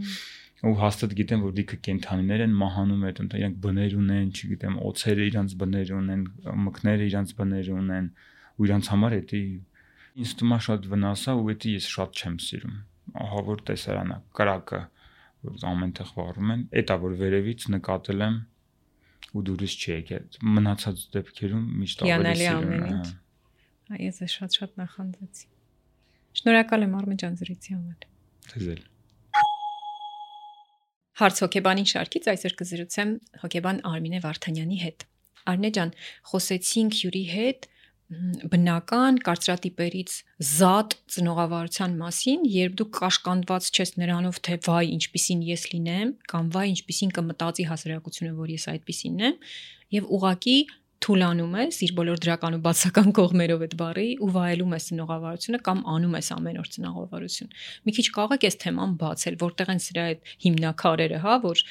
Ու հաստատ գիտեմ, որ դիքը կենթանիներ են մահանում այդ ընդ իրանք բներ ունեն, չգիտեմ, օծերը իրանք բներ ունեն, մկները իրանք բներ ունեն, ու իրանք համար դա ինձ թվում է շատ վնաս է ու դա ես շատ չեմ սիրում։ Ահա որ տեսարան է, կրակը, որ ամենտեղ վառում են, դա որ վերևից նկատել եմ ու դուրս չի եկել։ Մնացած դեպքերում միշտ ավելի սիրում եմ։ Ես շատ նախանձեցի։ Շնորհակալ եմ Արմեն ջան զրույցի համար։ Ձեզ Հարց հոգեբանի շարքից այսօր կզրուցեմ հոգեբան Արմինե Վարդանյանի հետ։ Արմինե ջան, խոսեցինք հյուրի հետ բնական կարծրատիպերից զատ ծնողավարության մասին, երբ դու կաշկանդված չես նրանով, թե վայ ինչպիսին ես լինեմ, կամ վայ ինչպիսին կմտածի հասարակությունը, որ ես այդպիսինն եմ, եւ ուղակի թուլանում ես իր բոլոր դրական ու բացական կողմերով այդ բառի ու վայելում ես ծնողավարությունը կամ անում ես ամեն օր ծնողավարություն։ Մի քիչ կարող ես թեման բացել, որտեղ են սրա այդ հիմնակարերը, հա, որ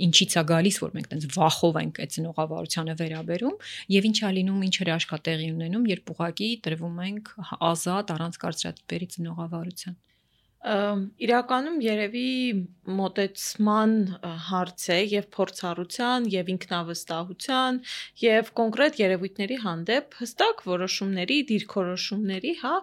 ինչից է գալիս, որ մենք տենց վախով ենք այդ ծնողավարությանը վերաբերում եւ ինչ է լինում, ինչ հրաշքատեղի ունենում, երբ ուղակի տրվում ենք ազատ առանց կարծրատիպերի ծնողավարության։ Իրականում երևի մոտեցման հարց է եւ փորձառության եւ ինքնավստահության եւ կոնկրետ երևույթների հանդեպ հստակ որոշումների, դիրքորոշումների, հա,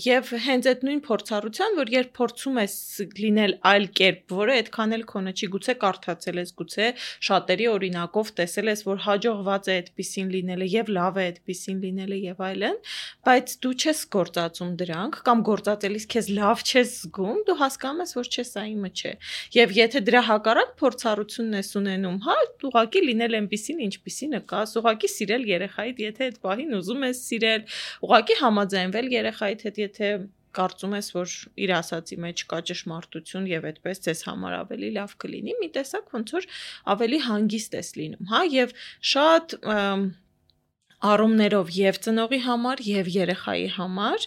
եւ հենց այդ նույն փորձառության, որ երբ փորձում ես լինել այլ կերպ, որը այդքան էլ քոնը չի, գուցե կարդացել ես, գուցե շատերի օրինակով տեսել ես, որ հաջողված է այդպիսին լինելը եւ լավ է այդպիսին լինելը եւ այլն, բայց դու չես գործածում դրանք կամ գործածելիս քեզ լավ չես զգում, դու հասկանում ես, որ չէ, սա իմը չէ։ Եվ եթե դրա հակառակ փորձառությունն ես ունենում, հա, ուղղակի լինել այնպիսին, ինչպիսին կաս, ուղղակի սիրել երեխայիդ, եթե այդ պահին ուզում ես սիրել, ուղղակի համաձայնվել երեխայիդ հետ, եթե կարծում ես, որ իր ասացի մեջ կա ճշմարտություն եւ այդպես ձեզ համար ավելի լավ կլինի, մի տեսակ ոնց որ ավելի հանգիստ ես լինում, հա, եւ շատ առումներով եւ ծնողի համար եւ երեխայի համար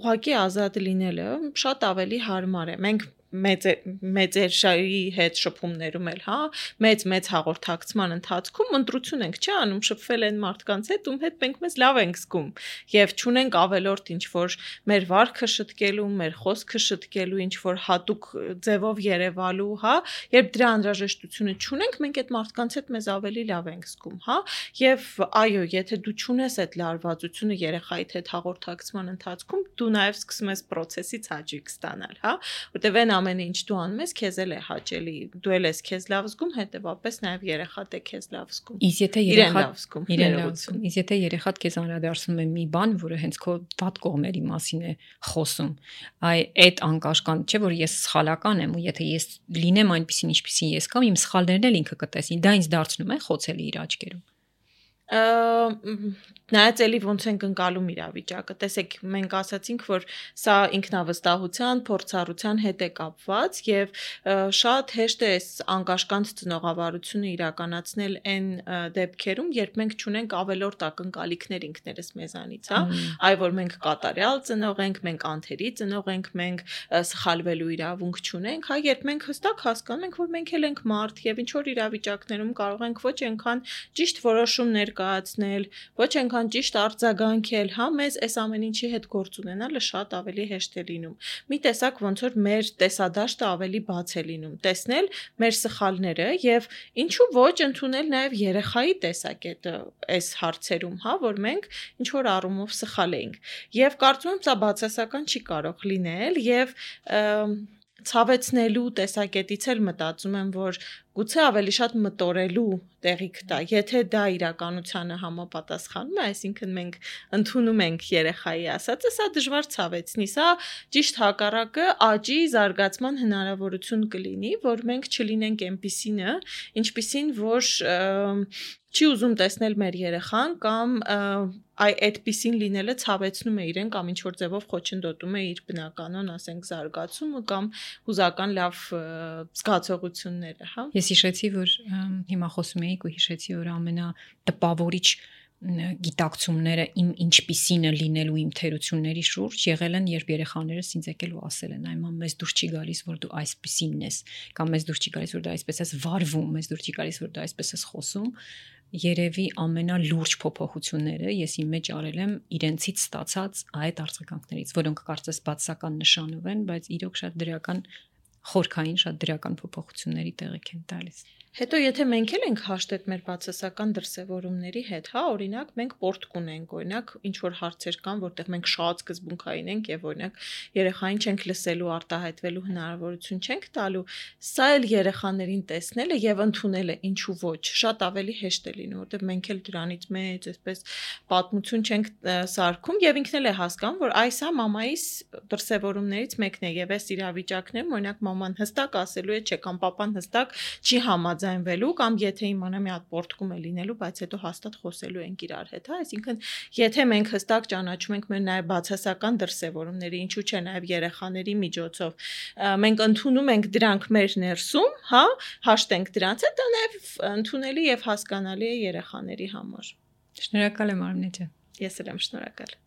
ուղղակի ազատ լինելը շատ ավելի հարմար է։ Մենք մեծերի հետ շփումներում էլ, հա, մեծ հաղորդակցման ընթացքում ընտրություն ենք չի անում, շփվել են մարդկանց հետ, ում հետ մենք մեզ լավ ենք զգում եւ չունենք ավելորդ ինչ որ մեր վարքը շտկելու, մեր խոսքը շտկելու, ինչ որ հատուկ ձևով երևալու, հա, երբ դրա անհրաժեշտությունը չունենք, մենք այդ մարդկանց հետ մեզ ավելի լավ ենք զգում, հա, եւ այո, եթե դու չունես այդ լարվածությունը երեխայիդ հետ հաղորդակցման ընթացքում, դու նաեւ սկսում ես process-ից հաճույք ստանալ, հա, որտեւ այն ամենը ինչ դու անում ես, քեզ էլ է հաճելի, դու էլ ես քեզ լավ զգում, հետեւապես նաեւ երեխադ է քեզ լավ զգում։ Իսկ եթե երեխադ քեզ անդրադարձնում է մի բան, որը հենց քո վատ կողմերի մասին է խոսում, այդ անկաշկանդ չէ, որ ես սխալական եմ ու եթե ես լինեմ այնպեսին ինչպեսին ես կամ իմ սխալներն էլ ինքը կտեսնի, դա ինձ դարձնում է խոցելի իր աչքերում։ Նայած էլի ոնց ենք ընկալում իրավիճակը։ Տեսեք, մենք ասացինք, որ սա ինքնավստահության, փորձառության հետ է կապված եւ շատ հեշտ է այս անկաշկանդ ծնողավարությունը իրականացնել այն դեպքերում, երբ մենք չունենք ավելորդ ակնկալիքներ ինքներս մեզանից, հա, այ որ մենք կատարյալ ծնող ենք, մենք անթերի ծնող ենք, մենք սխալվելու իրավունք չունենք, հա, երբ մենք հստակ հասկանում ենք, որ մենք էլ ենք մարդ եւ ինչ որ իրավիճակներում կարող ենք ոչ այնքան ճիշտ որոշում ներկայացնել, ոչ այնքան ճիշտ արձագանքել, հա, մեզ այս ամեն ինչի հետ գործ ունենալը շատ ավելի հեշտ է լինում։ Մի տեսակ ոնց որ մեր տեսադաշտը ավելի բաց է լինում, տեսնել մեր սխալները եւ ինչու ոչ ընդունել նաեւ երեխայի տեսակետը այս հարցերում, հա, որ մենք ինչ որ առումով սխալ էինք։ Եվ կարծում եմ սա բացասական չի կարող լինել եւ ցավեցնելու տեսակետից էլ մտածում եմ, որ գուցե ավելի շատ մտորելու տեղիք տա, եթե դա իրականությանը համապատասխանում է, այսինքն մենք ընդունում ենք երեխայի ասածը, սա դժվար ցավեցնի, սա ճիշտ հակառակը աճի զարգացման հնարավորություն կլինի, որ մենք չլինենք այնպիսինը, ինչպիսին որ չի ուզում տեսնել մեր երեխան կամ այդպիսին լինելը ցավեցնում է իրեն կամ ինչ որ ձևով խոչընդոտում է իր բնականon, ասենք, զարգացումը կամ հուզական լավ զգացողությունները, հա։ Ես հիշեցի, որ հիմա խոսում էիք ու հիշեցի, որ ամենատպավորիչ գիտակցումները իմ ինչպիսին է լինելու իմ թերությունների շուրջ եղել են, երբ երեխաներս ինձ եկել ու ասել են, այ մամ, մեզ դուր չի գալիս, որ դու այսպիսինն ես, կամ մեզ դուր չի գալիս, որ դու այսպես ես վարվում, մեզ դուր չի գալիս, որ դու այսպես ես խոսում։ Երևի ամենալուրջ փոփոխությունները ես իմ մեջ արել եմ իրենցից ստացած այդ արձագանքներից, որոնք կարծես բացասական նշանով են, բայց իրոք շատ դրական խորքային, շատ դրական փոփոխությունների տեղիք են տալիս։ Հետո եթե մենք էլ ենք հաշտետ մեր բացասական դրսևորումների հետ, հա, օրինակ մենք պորտկ ունենք, օրինակ ինչ որ հարցեր կան, որտեղ մենք շատ սկզբունքային ենք եւ օրինակ երեխային չենք լսելու, արտահայտվելու հնարավորություն չենք տալու, սա էլ երեխաներին տեսնելը եւ ընդունելը ինչու ոչ, շատ ավելի հեշտ է լինում, որտեղ մենք էլ դրանից մեծ այսպես պատմություն չենք սարքում եւ ինքն էլ է հասկանում, որ այս է մամայիս դրսևորումներից մեկն է եւ այս իրավիճակներում օրինակ մաման հստակ ասելու է, չէ, կամ պապան հստակ չի համաձայնվելու կամ եթե իմանա մի հատ պորտկում է լինելու, բայց հետո հաստատ խոսելու ենք իրար հետ, հա, այսինքն եթե մենք հստակ ճանաչում ենք մեր նաև բացասական դրսևորումները, ինչու՞ չէ նաև երեխաների միջոցով, մենք ընդունում ենք դրանք մեր ներսում, հա, հաշտենք դրանց հետ, դա նաև ընդունելի եւ հասկանալի է երեխաների համար։ Շնորհակալ եմ Արմինե ջան։ Ես էլ եմ շնորհակալ։